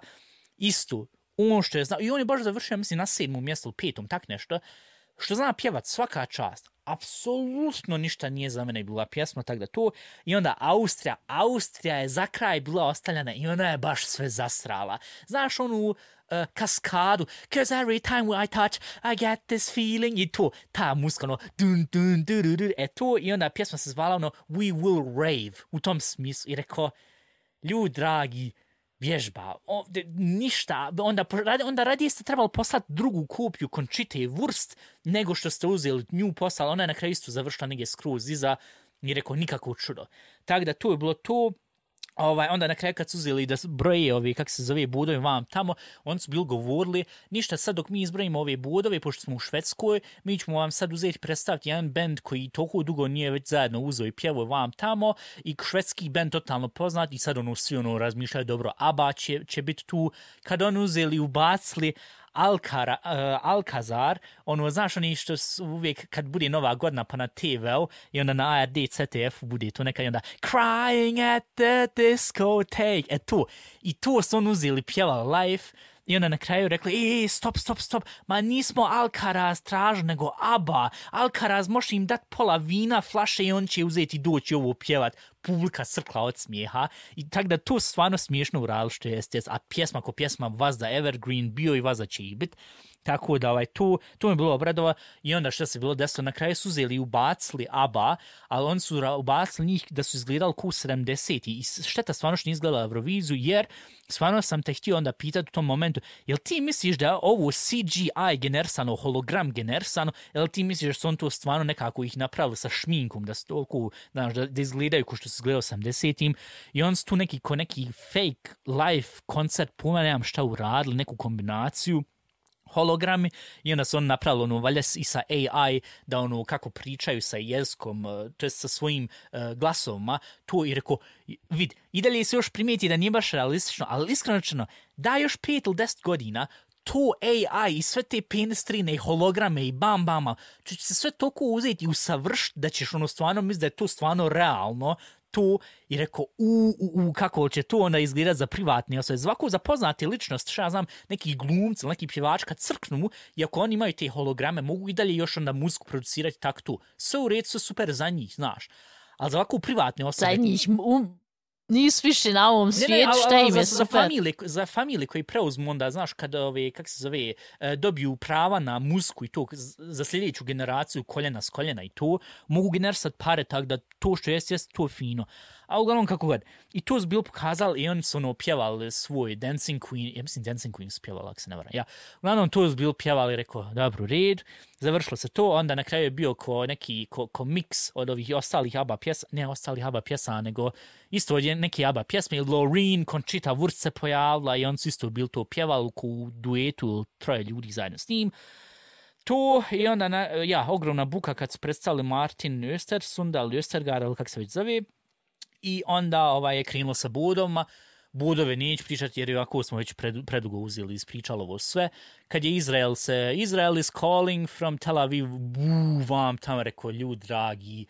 S3: isto, ono što je znao, i on je baš završio, mislim, na sedmom mjestu, petom, tak nešto, što zna pjevat, svaka čast. Apsolutno ništa nije za mene bila pjesma, tako da to. I onda Austrija. Austrija je za kraj bila ostavljena i ona je baš sve zasrala. Znaš onu uh, kaskadu. Cause every time I touch, I get this feeling. I to, ta muska, ono, dun, dun, dun, dun, dun. E to, i onda pjesma se zvala ono, We Will Rave. U tom smislu. I rekao, ljudi dragi, vježba, ovdje ništa, onda, onda radije ste trebali poslati drugu kopiju Conchite Wurst nego što ste uzeli nju poslali, ona je na kraju isto završila negdje skroz iza i rekao nikako čudo. Tako da to je bilo to. Ovaj, onda na kraju kad su uzeli da broje ove, kako se zove, budove vam tamo, oni su bili govorili, ništa sad dok mi izbrojimo ove budove, pošto smo u Švedskoj, mi ćemo vam sad uzeti predstaviti jedan band koji toliko dugo nije već zajedno uzeo i pjevao vam tamo i švedski band totalno poznat i sad ono svi ono razmišljaju, dobro, ABBA će, će biti tu. Kad oni uzeli i ubacili Alcara, uh, Alcazar, ono, znaš, oni što uvijek kad bude nova godina pa na te ve-u i onda na A R D, C T F bude to nekaj onda Crying at the discotheque, e to, i to su oni uzeli, pjevali live i onda na kraju rekli, e, stop, stop, stop, ma nismo Alcaraz tražili, nego ABBA, Alcaraz može im dati pola vina, flaše i on će uzeti i doći ovo pjevat, publika crkla od smijeha i tako da to stvarno smiješno uradili što jeste, a pjesma ko pjesma vazda Evergreen bio i vazda će i bit. Tako da ovaj, to, to mi je bilo obradova i onda što se bilo desilo, na kraju su uzeli i ubacili ABBA, ali oni su ubacili njih da su izgledali ku sedamdeseti i šteta stvarno što nije izgledala Euroviziju, jer stvarno sam te htio onda pitati u tom momentu, jel ti misliš da je ovo C G I generisano, hologram generisano, jel ti misliš da su on to stvarno nekako ih napravili sa šminkom, da su toliko, znaš, da, da izgledaju ko što su izgledali u osamdesetim i on su tu neki, ko neki fake live koncert, pojma nemam šta uradili, neku kombinaciju hologrami i onda su on napravili ono valjda i sa A I da ono kako pričaju sa jezikom, to je sa svojim uh, glasovima, to i rekao, vid, i dalje se još primijeti da nije baš realistično, ali iskreno da još pet ili deset godina to A I i sve te penestrine i holograme i bam bama, će se sve toliko uzeti i usavršiti da ćeš ono stvarno misliti da je to stvarno realno, to i rekao, u, u, u, kako će to onda izgledati za privatne osobe. Zvako za poznate ličnosti, šta ja znam, neki glumci, neki pjevač kad crknu, i ako oni imaju te holograme, mogu i dalje još onda muziku producirati tak tu. Sve u redu, sve super za njih, znaš. Ali za ovako privatne osobe...
S2: Za njih, um, nisu više na ovom svijetu, šta im je
S3: za,
S2: super.
S3: Za familije, za familije koji preuzmu onda, znaš, kada ove, kak se zove, dobiju prava na muziku i to, za sljedeću generaciju koljena s koljena i to, mogu generisati pare tako da to što jest, jest to fino. A uglavnom kako god. I to su bilo pokazali i oni su ono pjevali svoj Dancing Queen, ja mislim Dancing Queen su pjevali, ako se ne varam. Ja. Uglavnom to su bilo pjevali, rekao, dobro, red, završilo se to, onda na kraju je bio ko neki, ko, ko mix od ovih ostalih ABBA pjesa, ne ostalih ABBA pjesa, nego isto od neke ABBA pjesme, Loreen, Conchita Wurst se pojavila i oni su isto bili to pjevali u duetu troje ljudi zajedno s njim. To i onda, na, ja, ogromna buka kad su predstavili Martin Östersund, ali Östergaard, ali kako se već zove, i onda ovaj, je krenulo sa budovima. Budove neću pričati jer ovako smo već pred, predugo uzeli ispričalo ovo sve. Kad je Izrael se, Israel is calling from Tel Aviv, buu, vam tamo rekao, ljudi dragi,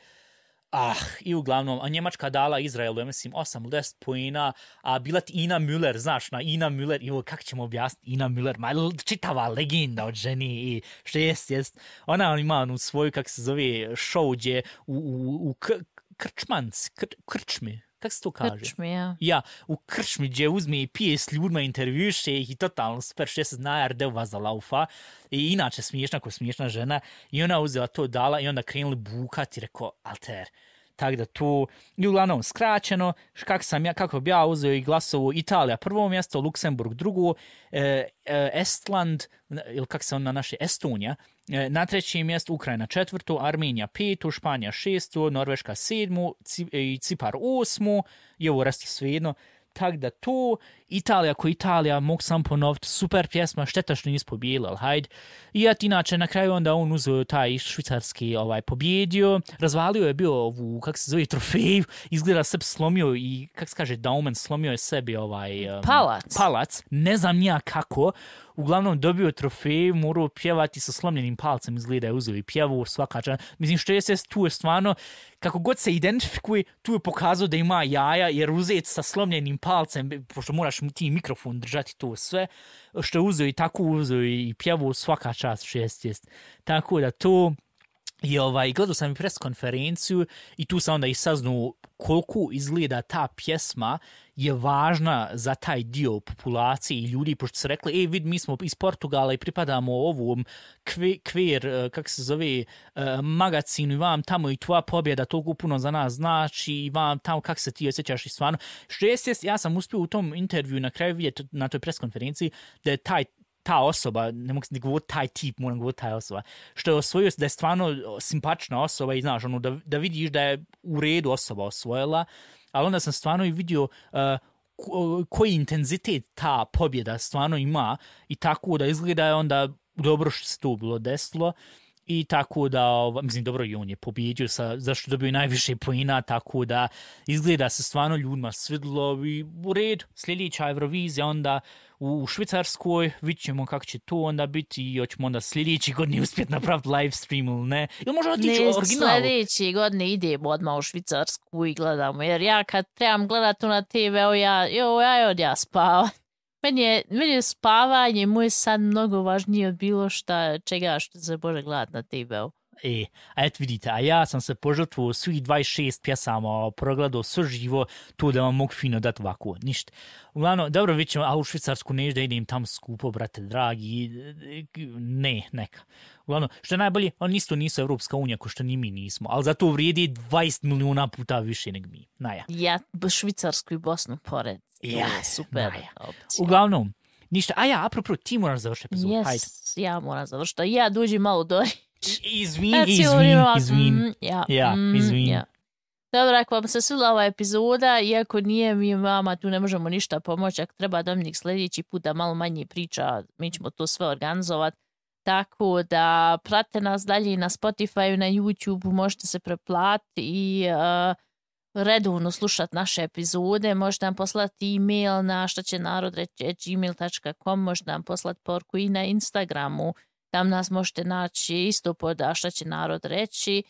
S3: ah, i uglavnom, a Njemačka dala Izraelu, ja mislim, osam ili deset pojena, a bila ti Ina Müller, znaš, na Ina Müller, i ovo, kako ćemo objasniti Ina Müller, ma čitava legenda od ženi, i što jest, jest, ona ima onu svoju, kako se zove, show gdje u, u, u k- krčmanc, kr, krčmi, kako se to kaže?
S2: Krčmi, ja.
S3: Ja, u krčmi gdje uzme i pije s ljudima, intervjuše ih i totalno super, što se zna R D-ova za laufa. I inače smiješna ko smiješna žena. I ona uzela to dala i onda krenuli bukati i rekao, alter. Tako da tu, i uglavnom skraćeno, kako sam ja, kako bi ja uzeo i glasovu, Italija prvo mjesto, Luksemburg drugo, e, e, Estland, ili kako se on na naše, Estonija, e, na trećem mjestu, Ukrajina četvrto, Armenija peto, Španija šesto, Norveška sedmo, i Cipar osmo, i ovo resto svejedno. Tako da to, Italija ko Italija, mogu sam ponoviti, super pjesma, šteta što nis pobijeli, ali hajde. I ja inače na kraju onda on uzeo taj švicarski ovaj, pobjedio, razvalio je bio ovu, kako se zove, trofeju, izgleda sebi slomio i, kako se kaže, Daumen, slomio je sebi ovaj... Um,
S2: palac.
S3: Palac, ne znam nija kako, uglavnom dobio trofej, morao pjevati sa slomljenim palcem, izgleda je uzeo i pjevu, svaka čana. Mislim, što je se tu je stvarno, kako god se identifikuje, tu je pokazao da ima jaja, jer uzeti sa slomljenim palcem, pošto moraš ti mikrofon držati to sve, što je uzeo i tako uzeo i pjevu, svaka čast, šest jest. Tako da to... I ovaj, gledao sam i pres konferenciju i tu sam onda i saznao koliko izgleda ta pjesma je važna za taj dio populacije i ljudi, pošto su rekli, ej vid, mi smo iz Portugala i pripadamo ovom kvir, kako se zove, magazinu i vam tamo i tvoja pobjeda toliko puno za nas znači i vam tamo kako se ti osjećaš i stvarno. Što jest, ja sam uspio u tom intervju na kraju vidjeti na toj pres konferenciji da je taj ta osoba, ne mogu ne govoriti taj tip, moram govoriti taj osoba, što je osvojio, da je stvarno simpatična osoba i znaš, ono, da, da vidiš da je u redu osoba osvojila, ali onda sam stvarno i vidio uh, koji intenzitet ta pobjeda stvarno ima i tako da izgleda je onda dobro što se to bilo desilo i tako da, mislim, dobro i on je pobjedio sa, zašto dobio najviše poena, tako da izgleda se stvarno ljudima svidlo i u redu, sljedeća Eurovizija onda u Švicarskoj, vidit ćemo kako će to onda biti i hoćemo onda sljedeći godini uspjeti napraviti live stream ili ne. Ili možda otići u originalu?
S2: Sljedeći godine idemo odmah u Švicarsku i gledamo, jer ja kad trebam gledati na te ve, ja, jo, ja od ja spavam. Meni je, meni je spavanje, moj san mnogo važnije od bilo šta, čega što se može gledati na te ve.
S3: E, a eto vidite, a ja sam se požrtvovao svih dvadeset šest pjesama, progledao sve živo, to da vam mogu fino dati ovako, ništa. Uglavnom, dobro, vidit ćemo, a u Švicarsku neću da idem tam skupo, brate, dragi, ne, neka. Uglavnom, što je najbolje, oni isto nisu Evropska unija, ko što ni mi nismo, ali zato vrijedi dvadeset milijuna puta više nego mi, naja.
S2: Ja, Švicarsku i Bosnu pored.
S3: Ja,
S2: super
S3: naja. Opcija. Uglavnom, ništa, a ja, apropo, ti moraš završiti epizod,
S2: yes,
S3: hajde.
S2: Ja moram završiti, ja duđi malo dori.
S3: Izvin, izvin, izvin.
S2: Mm, ja,
S3: ja
S2: mm,
S3: izvin.
S2: Ja. Dobro, ako vam se svila ova epizoda, iako nije mi vama, tu ne možemo ništa pomoći, ako treba Dominik sljedeći put da malo manje priča, mi ćemo to sve organizovati. Tako da prate nas dalje na Spotify, na YouTube, možete se preplatiti i uh, redovno slušati naše epizode, možete nam poslati e-mail na šta će narod reći gmail dot com, možete nam poslati porku i na Instagramu, tam nas možete naći isto pod a šta će narod reći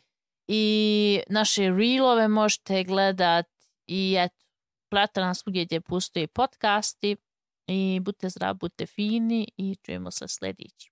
S2: i naše reelove možete gledati i eto, prate nas uvijek gdje postoje podcasti i budite zdrav, budite fini i čujemo se sljedeći.